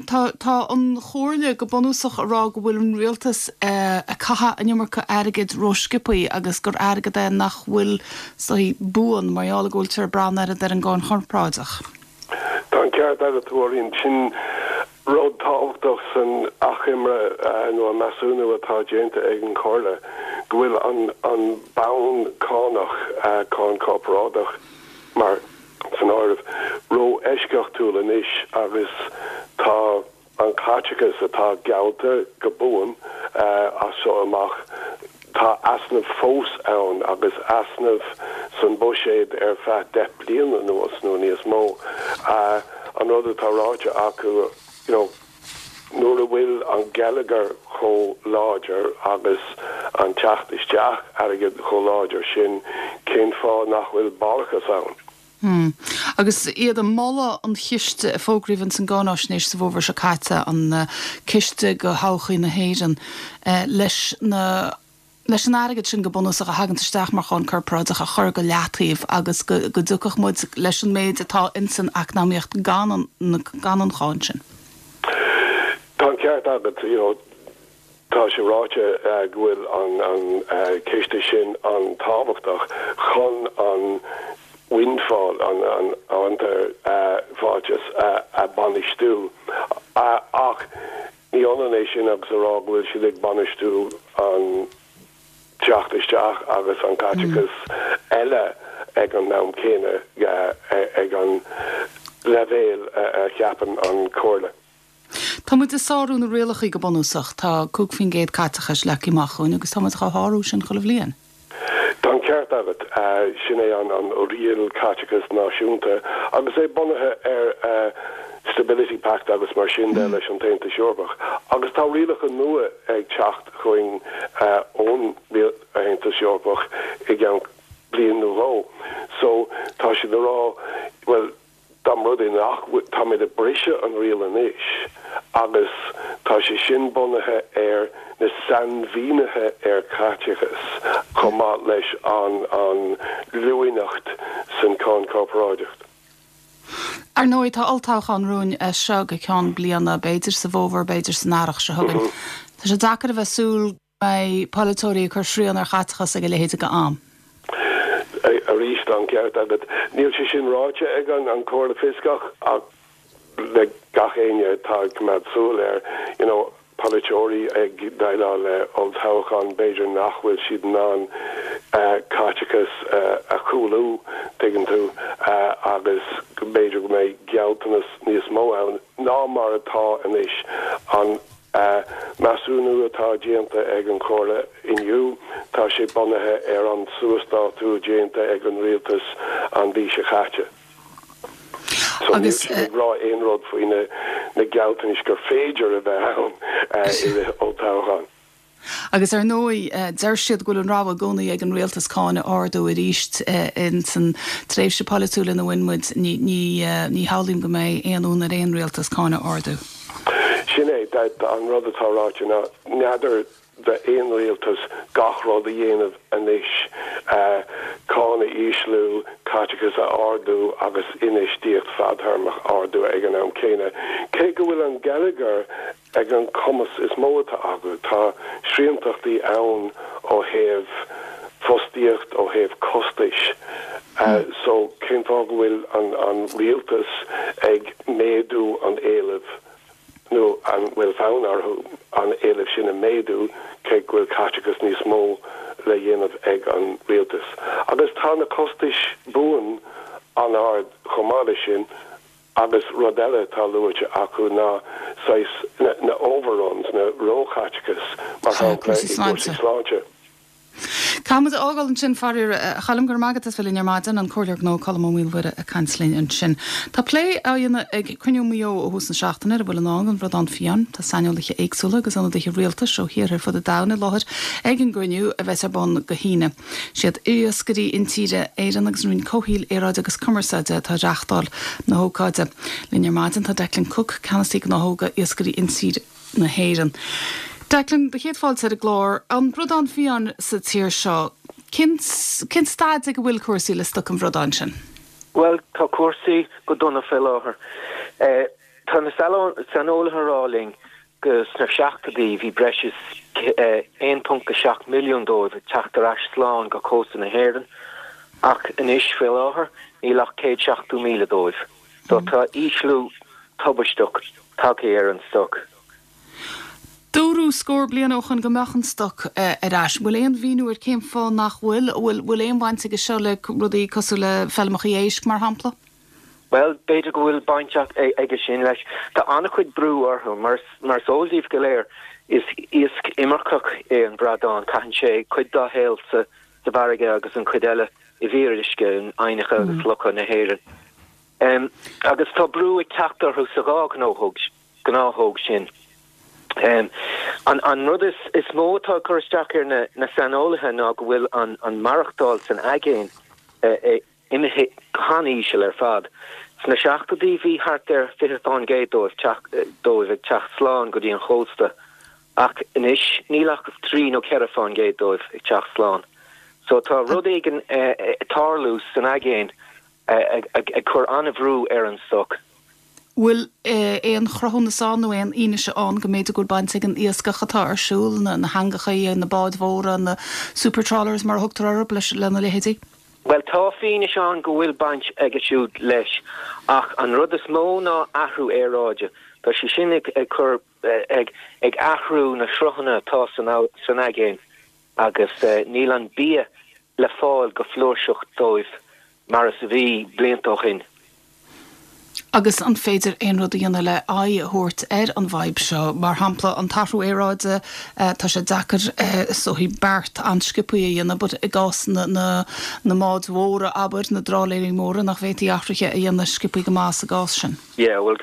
tá tá an Chomhairle go bunúsach ag rá go bhfuil an rialtas ag caitheamh an iomarca airgid rósciobthaí agus gur airgead é nach bhfuil is dóigh buan mar gheall go bhfuiltear ag breathnú oiread ar an gcáin chorparáideach. Tá an ceart agat, a Mháirín. Sin rud tábhachtach san achoimre nó an measúnú atá déanta ag an Chomhairle, go bhfuil an bonn cánach, cáin chorparáideach mar san áireamh, ró-eisceachtúil anois agus tá an caiteachas atá geallta go buan as seo amach. Tá easnamh fós ann agus easnamh san buiséad ar feadh 10 bliana anuas nó níos mó. An rud atá ráite acu, you know, nuair a bhfuil an geilleagar chomh láidir agus an teacht isteach airgid chomh láidir sin, cén fáth nach bhfuil barrachas ann? Agus iad ag moladh an chiste a fógraíodh ins an gcáináisnéis sa bhfómhar seo caite, an ciste go thodhchaí na hÉireann, leis na leis an airgead sin go bunúsach a thaganns isteach mar cháin corparáideach a chur go leataobh agus go go dtiocfadh muid leis an méid atá ins an eacnamaíocht gan an gan an cháin sin. Tá an ceart agat, you know, Tá sé ráite go bhfuil an ciste sin an-tábhachtach chun an windfall, an fhiontar fáiltas, a bhainistiú ach ní ionann é sin agus a rá go bhfuil siad ag bainistiú an teacht isteach agus an caiteachas eile ag an am céanna ag an leibhéal a cheapann an Chomhairle. Tá muid ag sárú na rialachaí go bunúsach. Tá 5% caiteachais leagtha amach dhúinn agus tá muid dhá shárú sin chuile bhliain. Tá an ceart agat. Sin é an riail caiteachais náisiúnta agus é bunaithe ar Stability Pact agus mar sin de leis an tAontas Eorpach. Agus tá rialacha nua ag teacht chugainn ón Aontas Eorpach i gceann bliain nó dhó. So tá siad ag rá, bhuel, Dá mba rud é nach bhfuil, táimid ag briseadh an riail anois agus tá sé sin bunaithe ar na sainmhínithe ar chaiteachas chomh maith leis an an luaineacht san cháin chorparáideach. Ar ndóigh, tá olltoghchán romhainn as seo go ceann bliana, b'fhéidir sa bhfómhar, b'fhéidir san earrach seo chugainn. Tá sé deacair a bheith súil go mbeidh polaiteoirí ag cur srian ar chaiteachas ag a leithéid de am. Arís, tá an ceart agat. Níl sé sin ráite ag an Chomhairle Fioscach ach le gach éinne atá ag coimeád súil air, you know, polaiteoirí ag déileáil le olltoghchán, b'fhéidir nach bhfuil siad in ann caiteachas a chúlú, tuigeann tú, agus b'fhéidir go mbeidh gealltanas níos mó ann ná mar atá anois. An measúnú atá déanta ag an Chomhairle inniu, tá sé bunaithe ar an suasdátú déanta ag an Rialtas an mhí seo chaite. So níl siad ag rá aon rud faoi na gealltanais gur féidir a bheith ann i rith olltoghcháin. Agus ar ndóigh, deir siad go bhfuil an rogha i gcónaí ag an rialtas cáin a ardú arís ins an tréimhse polaitiúil ina bhfuil muid. Ní, ní, ní shamhlaím go mbeidh aon fhonn ar aon rialtas cáin a ardú. Sin é, an rud atá ráite ná, n'fheadar d'aon rialtas gach rud a dhéanamh anois, cáin a ísliú, caiteachas a ardú agus infheistíocht fadthéarmach a ardú ag an am céanna. Cé go bhfuil an geilleagar ag an cumas is mó atá acu. Tá sriantachtaí ann ó thaobh fostaíocht, ó thaobh costais. So cén fáth go bhfuil an rialtas ag méadú an éilimh nó an bhfuil fonn orthu an éileamh sin a méadú cé go bhfuil caiteachas níos mó le dhéanamh ag an rialtas? Agus tá na costais buan an-ard chomh maith leis sin. Agus rud eile atá luaite acu ná saghas na overruns, na róchaiteachas, mar shampla i gcúrsaí sláinte. Caithfidh muid a fhágáil ansin, faraor. A Choilm, go raibh maith agat as bheith linn ar maidin. An Comhairleoir Gnó Colm Ó Maolmhuire ag caint linn ansin. Tá plé á dhéanamh ag cruinniú Mhaigh Eo ó thús na seachtaine ar a bhfuil i ndán don bhradán fiáin. Tá saineolaithe éagsúla agus ionadaithe rialtais ó thíortha ar fud an domhain i láthair ag an gcruinniú a bheas ar bun go hAoine. Siad Iascairí Intíre Éireann agus an Roinn Comhshaoil, Aeráide agus Cumarsáide atá ag reáchtáil na hócáide. Linn ar maidin tá Declan Cooke, Ceannasaí Gnáthóga Iascairí Intíre na hÉireann. Declan, do chéad fáilte ar an gclár. An bradán fiáin sa tír seo, cén cén staid ag a bhfuil cúrsaí le stoc an bhradáin sin? Bhuel, tá cúrsaí go dona fé láthair. Tá na saineolaithe ag rá linn go sna seachtóidí bhí breis is 1.7 milliún dóibh ag teacht ar ais slán go cósta na hÉireann ach anois faoi láthair níl ach 170,000 dóibh. So tá ísliú tubaisteach tagtha ar an stoc. Dúradh scór bliain ó shoin go mbeadh an stoc ar ais. Bhfuil aon mhíniú ar cén fáth nach bhfuil? Bhfuil aon bhaint aige seo le rudaí cosúil le feilmeacha éisc mar shampla? Bhuel, b'fhéidir go bhfuil baint aige sin leis. Tá an-chuid brú orthu, mar is eol daoibh go léir. Is iasc imirceach é an bradán, caitheann sé cuid dá shaol sa bhfarraige agus an chuid eile i bhfíoruisce, in aibhneacha agus locha na hÉireann. Agus tá brú ag teacht orthu sa dhá ghnáthóg sin. An rud is mó atá ag cur isteach ar na saineolaithe ná go bhfuil an maireachtáil san aigéan imithe go han-íseal ar fad. Sna seachtóidí bhí thart ar 20% dóibh ag teacht slán go dtí an chósta ach anois níl ach 3 nó 4% dóibh ag teacht slán. So tá rud éigin ag tarlú san aigéan ag cur an-bhrú ar an stoc. Bhfuil aon chruthúnas ann nó aon fhianaise ann go mb'fhéidir go bhfuil baint ag an iascach atá ar siúl, na heangacha, na báid mhóra, na super trawlers mar a thugtar orthu, leis, lena leithéidí? Bhuel, tá fianaise ann go bhfuil baint aige siúd leis, ach an rud is mó ná athrú aeráide. Tá sé sin ag cur, ag athrú na sruthanna atá san aigéan agus níl an bia le fáil go flúirseach dóibh mar is a bhí blianta ó shin. Agus an féidir aon rud a dhéanamh le aghaidh a thabhairt ar an bhfadhb seo? Mar shampla, an t-athrú aeráide, tá sé deacair is dóichí beart an-sciobtha a dhéanamh but i gcás na na na mbáid mhóra, abair, na dtrálaeirí móra, nach bhféadfaí athruithe a dhéanamh sciobtha go maith sa gcás sin? Yeah, bhuel,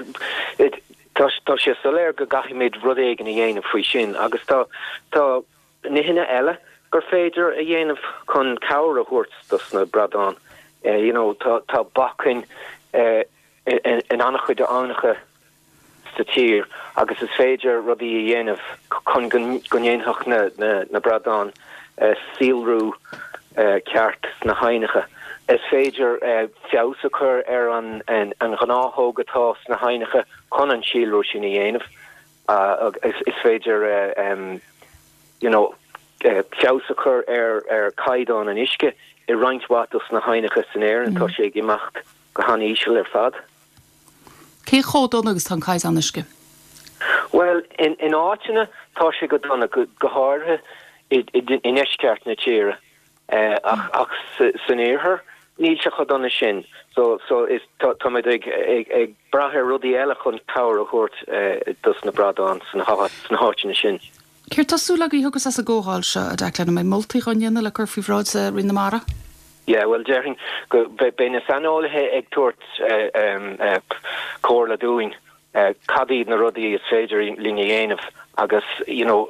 tá tá sé soiléir go gcaithfimid rud éigin a dhéanamh faoi sin agus tá tá nithe eile gur féidir a dhéanamh chun cabhair a thabhairt dos na bradáin. You know, tá tá bacainn in an-chuid aibhneacha sa tír agus is féidir rudaí a dhéanamh chun go go ndéanfadh na na na bradáin síolrú ceart sna haibhneacha. Is féidir feabhas a chur ar an an ghnáthóg atá sna haibhneacha chun an síolrú sin a dhéanamh. Is féidir you know feabhas a chur ar ar chaighdeán an uisce i roinnt mhaith dos na haibhneacha san Éirinn. Tá sé ag imeacht go han-íseal ar fad. Cé chomh dona agus tá an caighdeán uisce? Bhuel, in in áiteanna tá sé go dona, go háirithe i i ndeisceart na tíre. Ach san iarthar níl sé chomh dona sin. So so is táimid ag ag brath ar rudaí eile chun cabhair a thabhairt dos na bradáin sna háiteanna sin. Céard tá súil agaibh a thiocfas as an gcomhdháil seo, a Declan? An mbeidh moltaí á ndéanamh le cur faoi bhráid Roinn na Mara? Yeah, bhuel déarfainn go beidh na saineolaithe ag tabhairt comhairle dúinn cad iad na rudaí is féidir linn a dhéanamh agus you know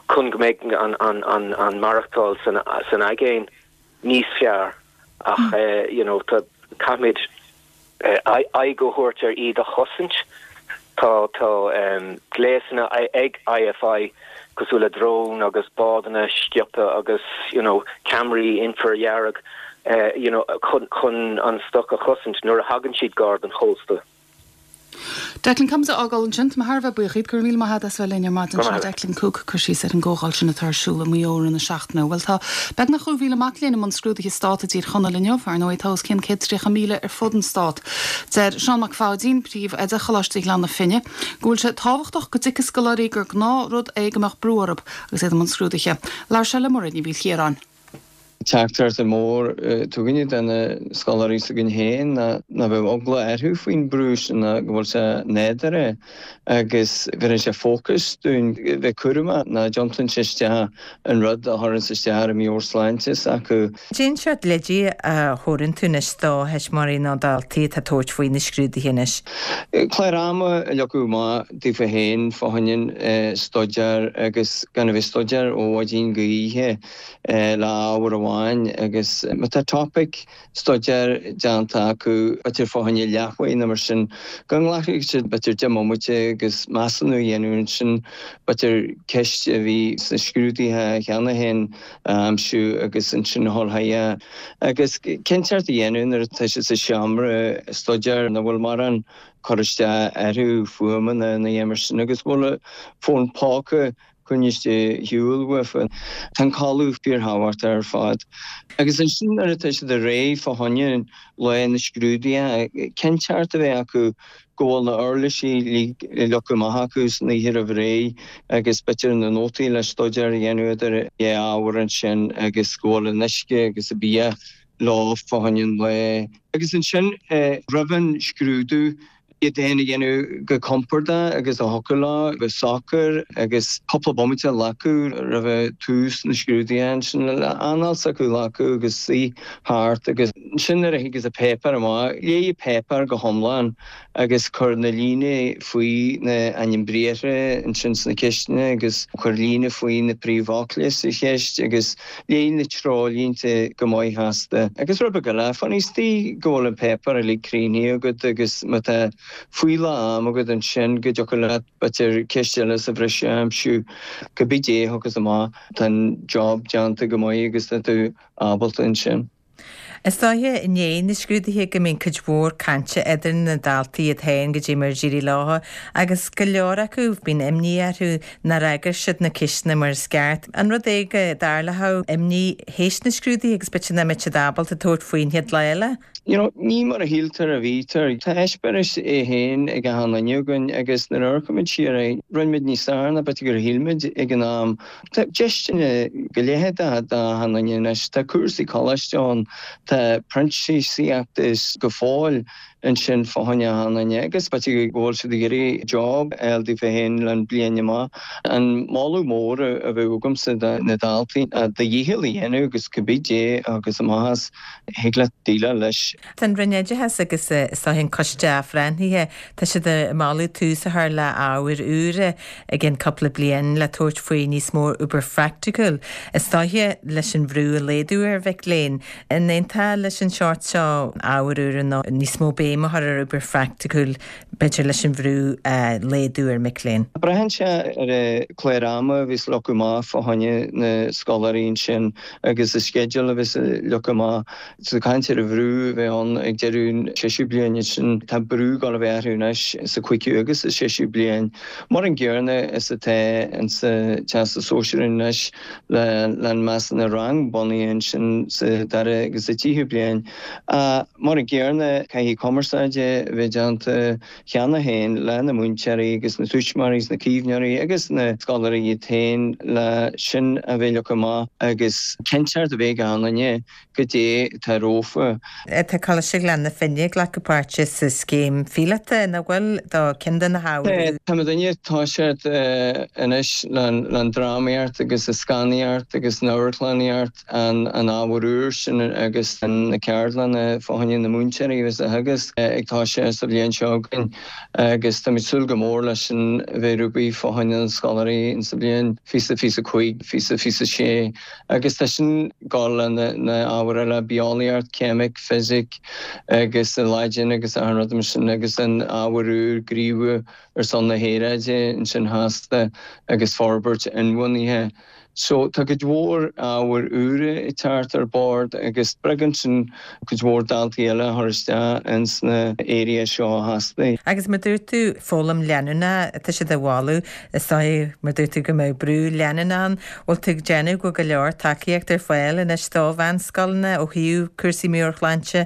chun go mbeidh an maireachtáil san aigéan níos fearr ach you know tá caithfimid aghaidh a thabhairt ar iad a chosaint. Tá tá gléasanna ag IFI cosúil le drón agus bádanna sciobtha agus you know ceamaraí infridhearg you know chun chun an stoc a chosaint nuair a thagann siad gar don chósta. Declan, caithfimid a fhágáil ansin. Tá mé thar a bheith buíoch díot. Go raibh míle maith agat as bheith linn ar maidin. Sin Declan Cooke ag cur síos ar an gcomhdháil sin atá ar siúl i Maigh Eo i rith na seachtaine. Bhuel, tá beagnach 2,000 mac léinn i mbun scrúduithe stát i dTír Chonaill inniu. Ar ndóigh, tá os cionn 130,000 ar fud an stát. Deir Seán Mac Pháidín, Príomh-Oide Choláiste Ghleann na Finne, go bhfuil sé tábhachtach go dtuigfidh scoláirí gur gnáthrud é go mbeadh brú orthu agus iad i mbun scrúduithe. Labhair sé le Mairéad Ní Mhaoilchiaráin. Teachtaireacht mór atá againne do na scoláirí s'againn féin ná ná bheadh eagla orthu faoin brú sin ná go bhfuil sé nádúrtha agus bheireann sé fócas dúinn bheith cúramach ná dtiontaíonn sé isteach an rud a chuireanns isteach ar an meabhairshláinte s'acu. Cén seort leidí a thabharann tú anois do thuismitheoirí nó daltaí atá ag tabhairt faoi na scrúduithe anois? Clár ama a leagadh amach daofa féin fá choinne an staidéar agus gan a bheith ag staidéar ó mhaidin go oíche. le ábhar amháin agus má tá topaic staidéir déanta acu, b'fhéidir fá choinne leathuair nó mar sin, go nglacfaidh siad b'fhéidir 10 mbomaite agus measúnú a dhéanamh ansin, b'fhéidir ceist a bhí sna scrúduithe cheana féin a aimsiú agus ansin a dhul chuige. Agus cinnteacht a dhéanamh nuair atá siad sa seomra staidéir nach bhfuil mórán cur isteach orthu, fuaimeanna nó a dhath mar sin agus go bhfuil fón póca coinnithe ar shiúl uafa. Tá an codladh fíorthábhachtach ar fad. Agus ansin nuair atá siad réidh fá choinne lá na scrúduithe, cinnteacht a bheith acu go bhfuil na uirlisí uilig leagtha amach acu san oíche roimh ré agus b'fhéidir na nótaí le staidéar a dhéanamh idir dhá ábhar ansin agus go bhfuil an uisce agus an bia leo fá choinne an lae. Agus ansin roimh an scrúdú. Iad féin a dhéanamh go compordach agus a thiocfadh leo, bheith socair agus cúpla bomaite a ghlacadh roimh tús na scrúduithe ansin le anáil s'acu a ghlacadh agus suí thart agus ansin nuair a thigeas an páipéar amach, léigh an páipéar go hiomlán agus cuir na líne faoi na ainm briathra ansin sna ceisteanna agus cuir líne faoi na príomhfhocla sa cheist agus léigh na treoirlínte go maith feasta. Agus rud beag eile, fan istigh go bhfuil an páipéar uilig críochnaithe agat agus má tá fuíollach am agat ansin go dtiocfadh leat b'fhéidir ceist eile sa bhreis a aimsiú. Cibé dé a thiocfas amach, tá an job déanta go maith agus tá tú ábalta ansin. Is dóiche i ndiaidh na scrúduithe go mbíonn cuid mhór cainte idir na daltaí iad féin goidé mar a d'éirigh leo agus go leor acu bíonn imní orthu nár fhreagair siad na ceisteanna mar is ceart. An rud é go dtarlódh imní théis na scrúduithe agus b'fhéidir nach mbeadh siad ábalta tabhairt faoin chéad lá eile? You know, ní mar a shíltear a bhítear. Tá eispéireas é féin ag achan duine againn agus nuair a amharcaimid siar air, rinne muid níos fearr ná b'fhéidir gur shíl muid ag an am. Tá deiseanna go leith d'achan duine anois. Tá cúrsaí coláiste ann, tá printíseachtaí go fóill ansin fá choinne achan duine agus b'fhéidir go bhfuil siad ag iarraidh job a fháil daofa féin le bliain amach. An moladh mór a bheadh agamsa do na daltaí ná do dhícheall a dhéanamh agus cibé dé a thiocfas amach as, thig leat déileáil leis. Tá an Roinn Oideachais agus is dóiche an Coiste Athbhreithnithe, tá siad ag moladh tús a chur le ábhair úra i gcionn cúpla bliain le tabhairt faoi níos mó obair phraiticiúil, is dóiche, leis an bhrú a laghdú ar mhic léinn. An aontófá leis an seort seo ábhair úra nó níos mó béim a chur ar obair phraiticiúil, b'fhéidir leis an bhrú a laghdú ar mhic léinn? Braitheann sé ar an clár ama a bheas leagtha amach fá choinne na scoláirí ansin agus an sceideal a bheas leagtha amach. Ag caint ar an bhrú a bheidh ann ag deireadh an séisiú bliain ansin, tá brú ag dul a bheith orthu anois sa chúigiú agus sa séisiú bliain, mar an gcéanna is atá insa Teastas Sóisearach anois le an measúnú rang bunaithe ansin sa dara agus sa tríú bliain. Mar an gcéanna, caithfidh cumarsáid a bheith déanta cheana féin le na múinteoirí agus na tuismitheoirí is na caomhnóirí agus na scoláirí iad féin le sin a bheith leagtha amach agus cinnteacht a bheith ag achan duine goidé atá rompu. Tá Coláiste Ghleann na Finne ag glacadh páirte sa scéim phíolóta, nach bhfuil, do ceann de na hábhair. Tá muidinne ag toiseacht anois le an drámaíocht agus an scannánaíocht agus an amharclannaíocht, an ábhar úr sin agus na ceardlanna fá choinne na múinteoirí agus a theagasc ag toiseacht sa bhliain seo chugainn agus táimid súil go mór leis sin a bheith réidh fá choinne na scoláirí sa bhliain 2025, 2026. Agus tá sin ag dul le na ábhair eile, bitheolaíocht, ceimic, fisic agus an Laidin agus achan rud mar sin agus an ábhar úr, gníomhú ar son na haeráide ansin feasta agus forbairt inbhuanaithe. So tá cuid mhór ábhair úra ag teacht ar bord agus spreagann sin cuid mhór daltaí eile a chur isteach ins na area seo feasta. Agus mar dúirt tú, foghlaim leanúnach atá siad a mholadh, is dóigh, mar dúirt tú, go mbeadh brú leanúnach ann. Bhfuil tú ag déanamh go bhfuil go leor tacaíocht ar fáil anois do mheánscoileanna ó thaobh cúrsaí meabhairshláinte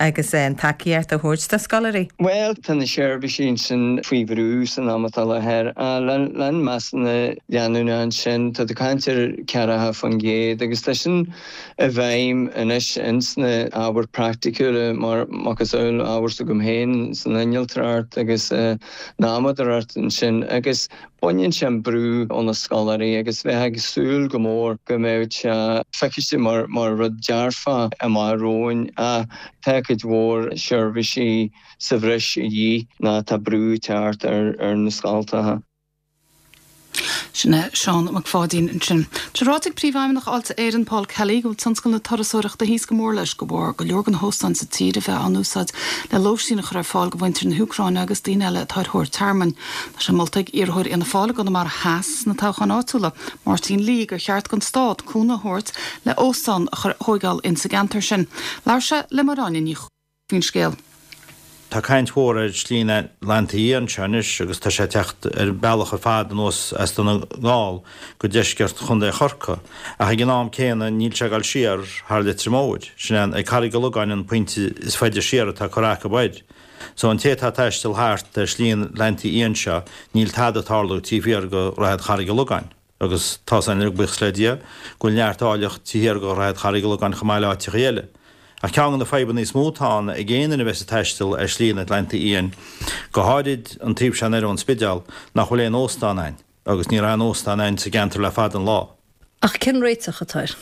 agus an tacaíocht a thabhairt do scoláirí? Bhuel, tá na seirbhísí ansin faoi bhrú san am atá i láthair. Le an measúnú leanúnach ansin, tá tú ag caint ar 40% agus tá sin i bhfeidhm anois ins na ábhair praiticiúla mar macasamhail ábhar s'agam féin san innealtóireacht agus san adhmadóireacht ansin agus baineann sé an brú ó na scoláirí agus bheifeá ag súil go mór go mbeadh sé feiciste mar mar rud dearfach amach romhainn ach tá cuid mhór seirbhísí sa bhreis a dhíth ná tá brú ag teacht ar ar na scoltacha. Sin é Seán Mac Pháidín ansin. Tá ráite ag Príomhfheidhmeannach Fháilte Éireann, Paul Kelly, go bhfuil tionscal na turasóireachta thíos go mór leis de bharr go leor de na hóstáin sa tír a bheith á n-úsáid le lóistín a chur ar fáil do mhuintir na hÚcráine agus daoine eile atá ar thóir tearmainn. Tá sé molta ag iarrthóir Fhianna Fáil i gConamara Theas sna toghcháin áitiúla, Máirtín Lee, gur cheart don stát cúnamh a thabhairt le óstán a chur a thóigeáil insa gceantar sin. Labhair sé le Máire Áine Ní faoin scéal. Tá caint mhór ar Shlí an Atlantaigh Fhiáin anseo anois agus tá sé ag teacht ar an bealach ar fad anuas as Dún na nGall go deisceart Chontae Chorcaí ach ag an am céanna níl sé ag dul siar thar Leitir Móir. Sin é ag Carraig an Logáin an pointe is faide siar atá curtha acu air. So an té atá ag taisteal thart ar Shlí an Atlantaigh Fhiáin seo níl tada ag tarlú taobh thiar de Dhroichead Charraig an Logáin. Agus tá's againn uilig, buíochas le Dia, go bhfuil neart áilleacht taobh thiar de Dhroichead Charraig an Logáin chomh maith le áiteachaí eile. Ach ceann de na fadhbanna is mó atá ann ag aon duine a bheas ag taisteal ar Shlí an Atlantaigh Fhiáin, go háirid an taobh seo anoir ón Spidéal, nach bhfuil aon óstán ann, agus ní raibh aon óstán ann sa gceantar le fada an lá. Ach cén réiteach atá air?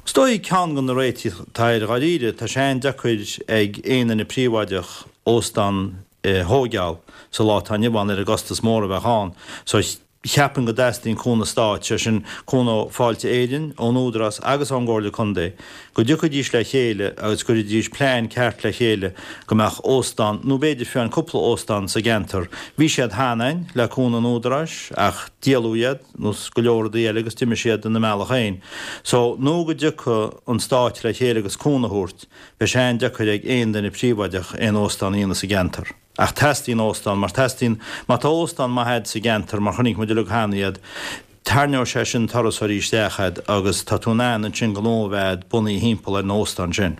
Is dóigh ceann de na réitigh atá air dháiríre, tá sé an-deacair ag aon duine príobháideach óstán a thóigeáil sa lá atá inniu ann ar an gcostas mór a bheadh ann. So cheapfainn go dteastaíonn cúnamh stáit, sé sin cúnamh ó Fáilte Éireann, ón Údarás agus ón gComhairle Contae, go dtiocfaidís le chéile agus go gcuirfidís plean ceart le chéile go mbeadh óstán, nó b'fhéidir fiú amháin cúpla óstán sa gceantar. Bhí siad cheana ann le cúnamh an Údaráis ach díoladh iad. nós go leor rudaí eile agus d'imigh siad ina mbealach féin. So, nó go dtiocfaidh an stát le chéile agus cúnamh a thabhairt, beidh sé an-deacair ag aon duine príobháideach aon óstán a dhéanamh sa gceantar. Ach teastaíonn óstán, mar teastaíonn, má tá óstán maith a'd sa gceantar, mar chonaic muid uilig cheana iad, tarraingeoidh sé sin turasóirí isteach a'd agus tá tú in ann ansin gnó a bheith a'd bunaithe thimpeall ar an óstán sin.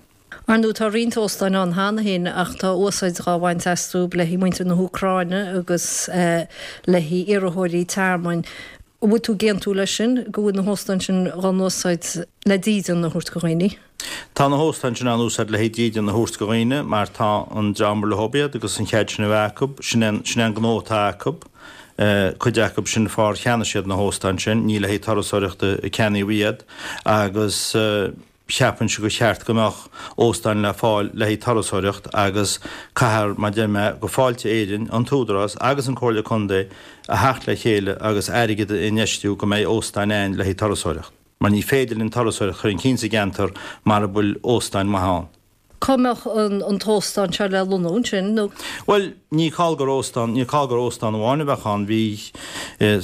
Ar ndóigh tá roinnt óstáin ann cheana féin ach tá úsáid dhá bhaint astu le haghaidh muintir na hÚcráine agus le haghaidh iarrthóirí tearmainn. An bhfuil tú ag aontú leis sin, go bhfuil na hóstáin sin dhá n-úsáid le dídean a thabhairt go dhaoine? Tá na hóstáin sin á n-úsáid le haghaidh dídean a thabhairt go dhaoine mar tá an dream ar leob iad agus an chead sin a bheith acu, sin é sin é an gnó atá acu. Cuid acu sin fár cheannaigh siad na hóstáin sin, ní le haghaidh turasóireachta a ceannaíodh iad agus. Cheapfainnse gur cheart go mbeadh óstáin le fáil le haghaidh turasóireacht agus caithfear, mar deir mé, go Fáilte Éireann, an tÚdarás agus an Comhairle Contae a theacht le chéile agus airgead a infheistiú go mbeidh óstáin ann le haghaidh turasóireacht. Mar ní féidir linn turasóireacht a chur chun cinn sa gceantar mara bhfuil óstáin maithe ann. Cá mbeadh an t-óstán seo le lonnú ansin nó? Bhuel, ní call gur óstán, ní call gur óstán amháin a bheadh ann. Bhí,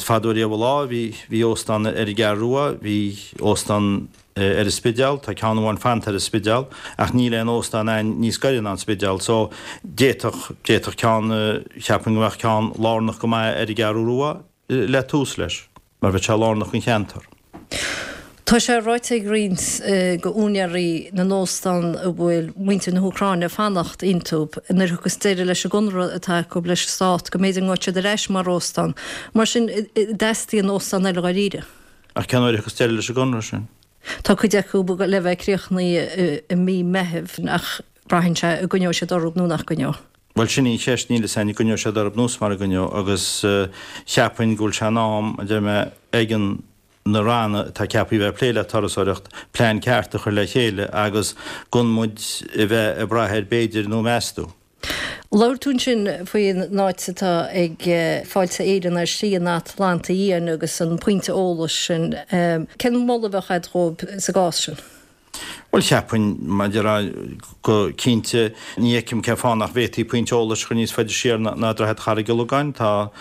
fadó riamh an lá, bhí, bhí óstán ar an gCeathrú Rua, bhí óstán ar an Spidéal, tá ceann amháin fanta ar an Spidéal, ach níl aon óstán ann níos gaire ná an Spidéal. So, d'fhéadfadh, d'fhéadfadh ceann, cheapfainn go mbeadh ceann lárnach go maith ar an gCeathrú Rua, le tús leis, mar bheadh sé lárnach don cheantar. Tá sé ráite ag roinnt de úinéirí na n-óstán a bhfuil muintir na hÚcráine ag fanacht iontu, nuair a thiocfas deireadh leis an gconradh atá acu leis an stát, go mb'fhéidir go ngabhfaidh siad ar ais mar óstán. Mar sin, an dteastaíonn óstán eile dháiríre. Ach cén uair a thiocfas deireadh leis an gconradh sin? Tá cuid acu le bheith críochnaithe i mí Meithimh ach braitheann sé an gcoinneoidh siad orthu nó nach gcoinneoidh. Bhuel, sin í an cheist, níl fhios a'inn an gcoinneoidh siad orthu nó mara gcoinneoidh agus cheapfainn go bhfuil sé in am, a deir mé, ag an na ranna atá ceaptha a bheith ag plé le turasóireacht, plean ceart a chur le chéile agus gan muid a bheith ag brath ar b'fhéidir nó meas tú. Labhair tú ansin faoin áit atá ag Fáilte Éireann ar Shlí an Atlantaigh Fhiáin agus an pointe eolais sin. Cén moladh a bheadh agat dhóibh sa gcás sin? Bhuel, cheapfainn, mar a déarfá, go cinnte, ní fheicim cén fáth nach bhféadfaí pointe eolais a chur níos faide siar ná Droichead Charraig Uileagáin. Tá,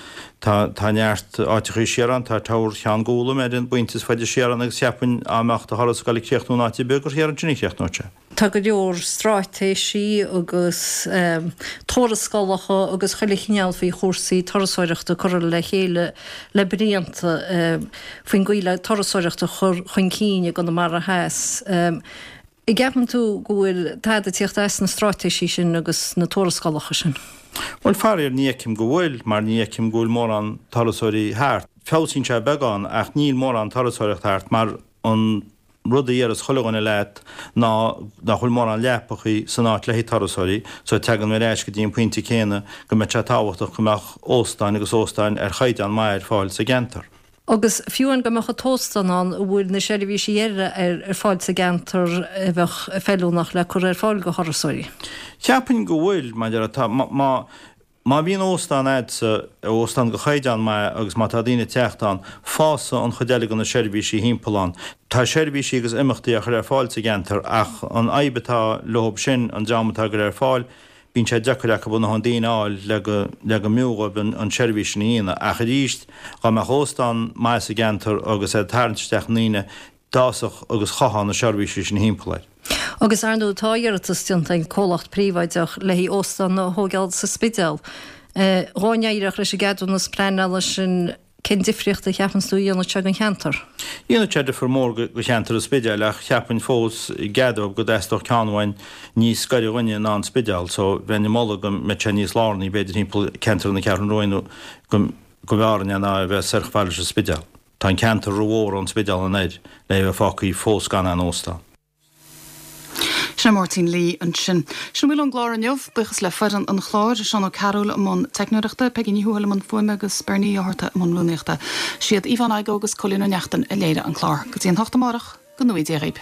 tá, tá neart áiteachaí siar ann, tá Tower Cheann Gólaim ar an bpointe is faide siar ann agus cheapfainn dá mbeadh do thuras ag dul ag críochnú in áit ar bith gur thiar ansin a chríochnódh sé. Tá go leor stráitéisí agus tuarascálacha agus chuile chineál faoi chúrsaí turasóireachta curtha le chéile le blianta faoin gcaoi le turasóireacht a chur chun cinn i gConamara Theas. An gceapann tú go bhfuil tada ag tíocht as na stráitéisí sin agus na tuarascálacha sin? Bhuel, faraor, ní fheicim go bhfuil, mar ní fheicim go bhfuil mórán turasóirí thart. Feabhsaíonn sé beagán ach níl mórán turasóireacht thart mar an rud a déarfas chuile dhuine leat ná nach bhfuil mórán leapachaí san áit le haghaidh turasóirí, so tagann mé ar ais go dtí an pointe céanna go mbeadh sé tábhachtach go mbeadh óstáin agus óstáin ar chaighdeán maith ar fáil sa gceantar. Agus fiú amháin go mbeadh an t-óstán ann, an bhfuil na seirbhísí eile ar fáil sa gceantar a bheadh feiliúnach le cur ar fáil go thurasóirí? Cheapfainn go bhfuil, mar atá, má. Má bhíonn óstán a'dsa, óstán de chaighdeán maith agus má tá daoine ag teacht ann, fásfaidh an chuid eile de na seirbhísí thimpeall ann. Tá seirbhísí agus imeachtaí á chur ar fáil sa gceantar ach an fhadhb atá leob sin, an dream atá á gcur ar fáil, bíonn sé deacair acu a ndóthain daoine a fháil le go, le go mb'fhiú dhóibh an tseirbhís sin a dhéanamh. Ach arís, dhá mbeadh óstán maith sa gceantar agus é ag tarraingt isteach na ndaoine, d'fhásfadh agus chothódh na seirbhísí sin thimpeall air. Agus ar ndóigh tá iarratas déanta ag comhlacht príobháideach le haghaidh óstán a thógáil sa Spidéal. Dhá n-éireodh leis an gceadúnas pleanála sin, cén difríocht a cheapanns tú a dhéanfadh sé don cheantar? Dhéanfadh sé difear mór do cheantar an Spidéil ach cheapfainn fós i gcead dóibh go dteastódh ceann amháin níos gaire dhúinne ná an Spidéal so bheinn ag moladh go mbeadh sé níos lárnaí b'fhéidir thimpeall ceantar na Ceathrún Rua nó go mb'fhearr linn é ná a bheith soir chomh fada leis an Spidéal. Tá an ceantar ró-mhór ón Spidéal anoir le é a bheith fágtha fós gan aon óstán. Sin é Máirtín Lee ansin. Sin a bhfuil ón gclár inniu. Buíochas le foireann an chláir, Seán Ó Cearúil i mbun teicneoireachta, Peigí Ní Thuathail i mbun fuaime agus Bernie Ó hEarta i mbun rúnaíochta. Siad Yvonne Igoe agus Cóilín Ó Neachtain a léirigh an clár. Go dtí an hocht amárach, go ngnóthaí Dia dhaoib.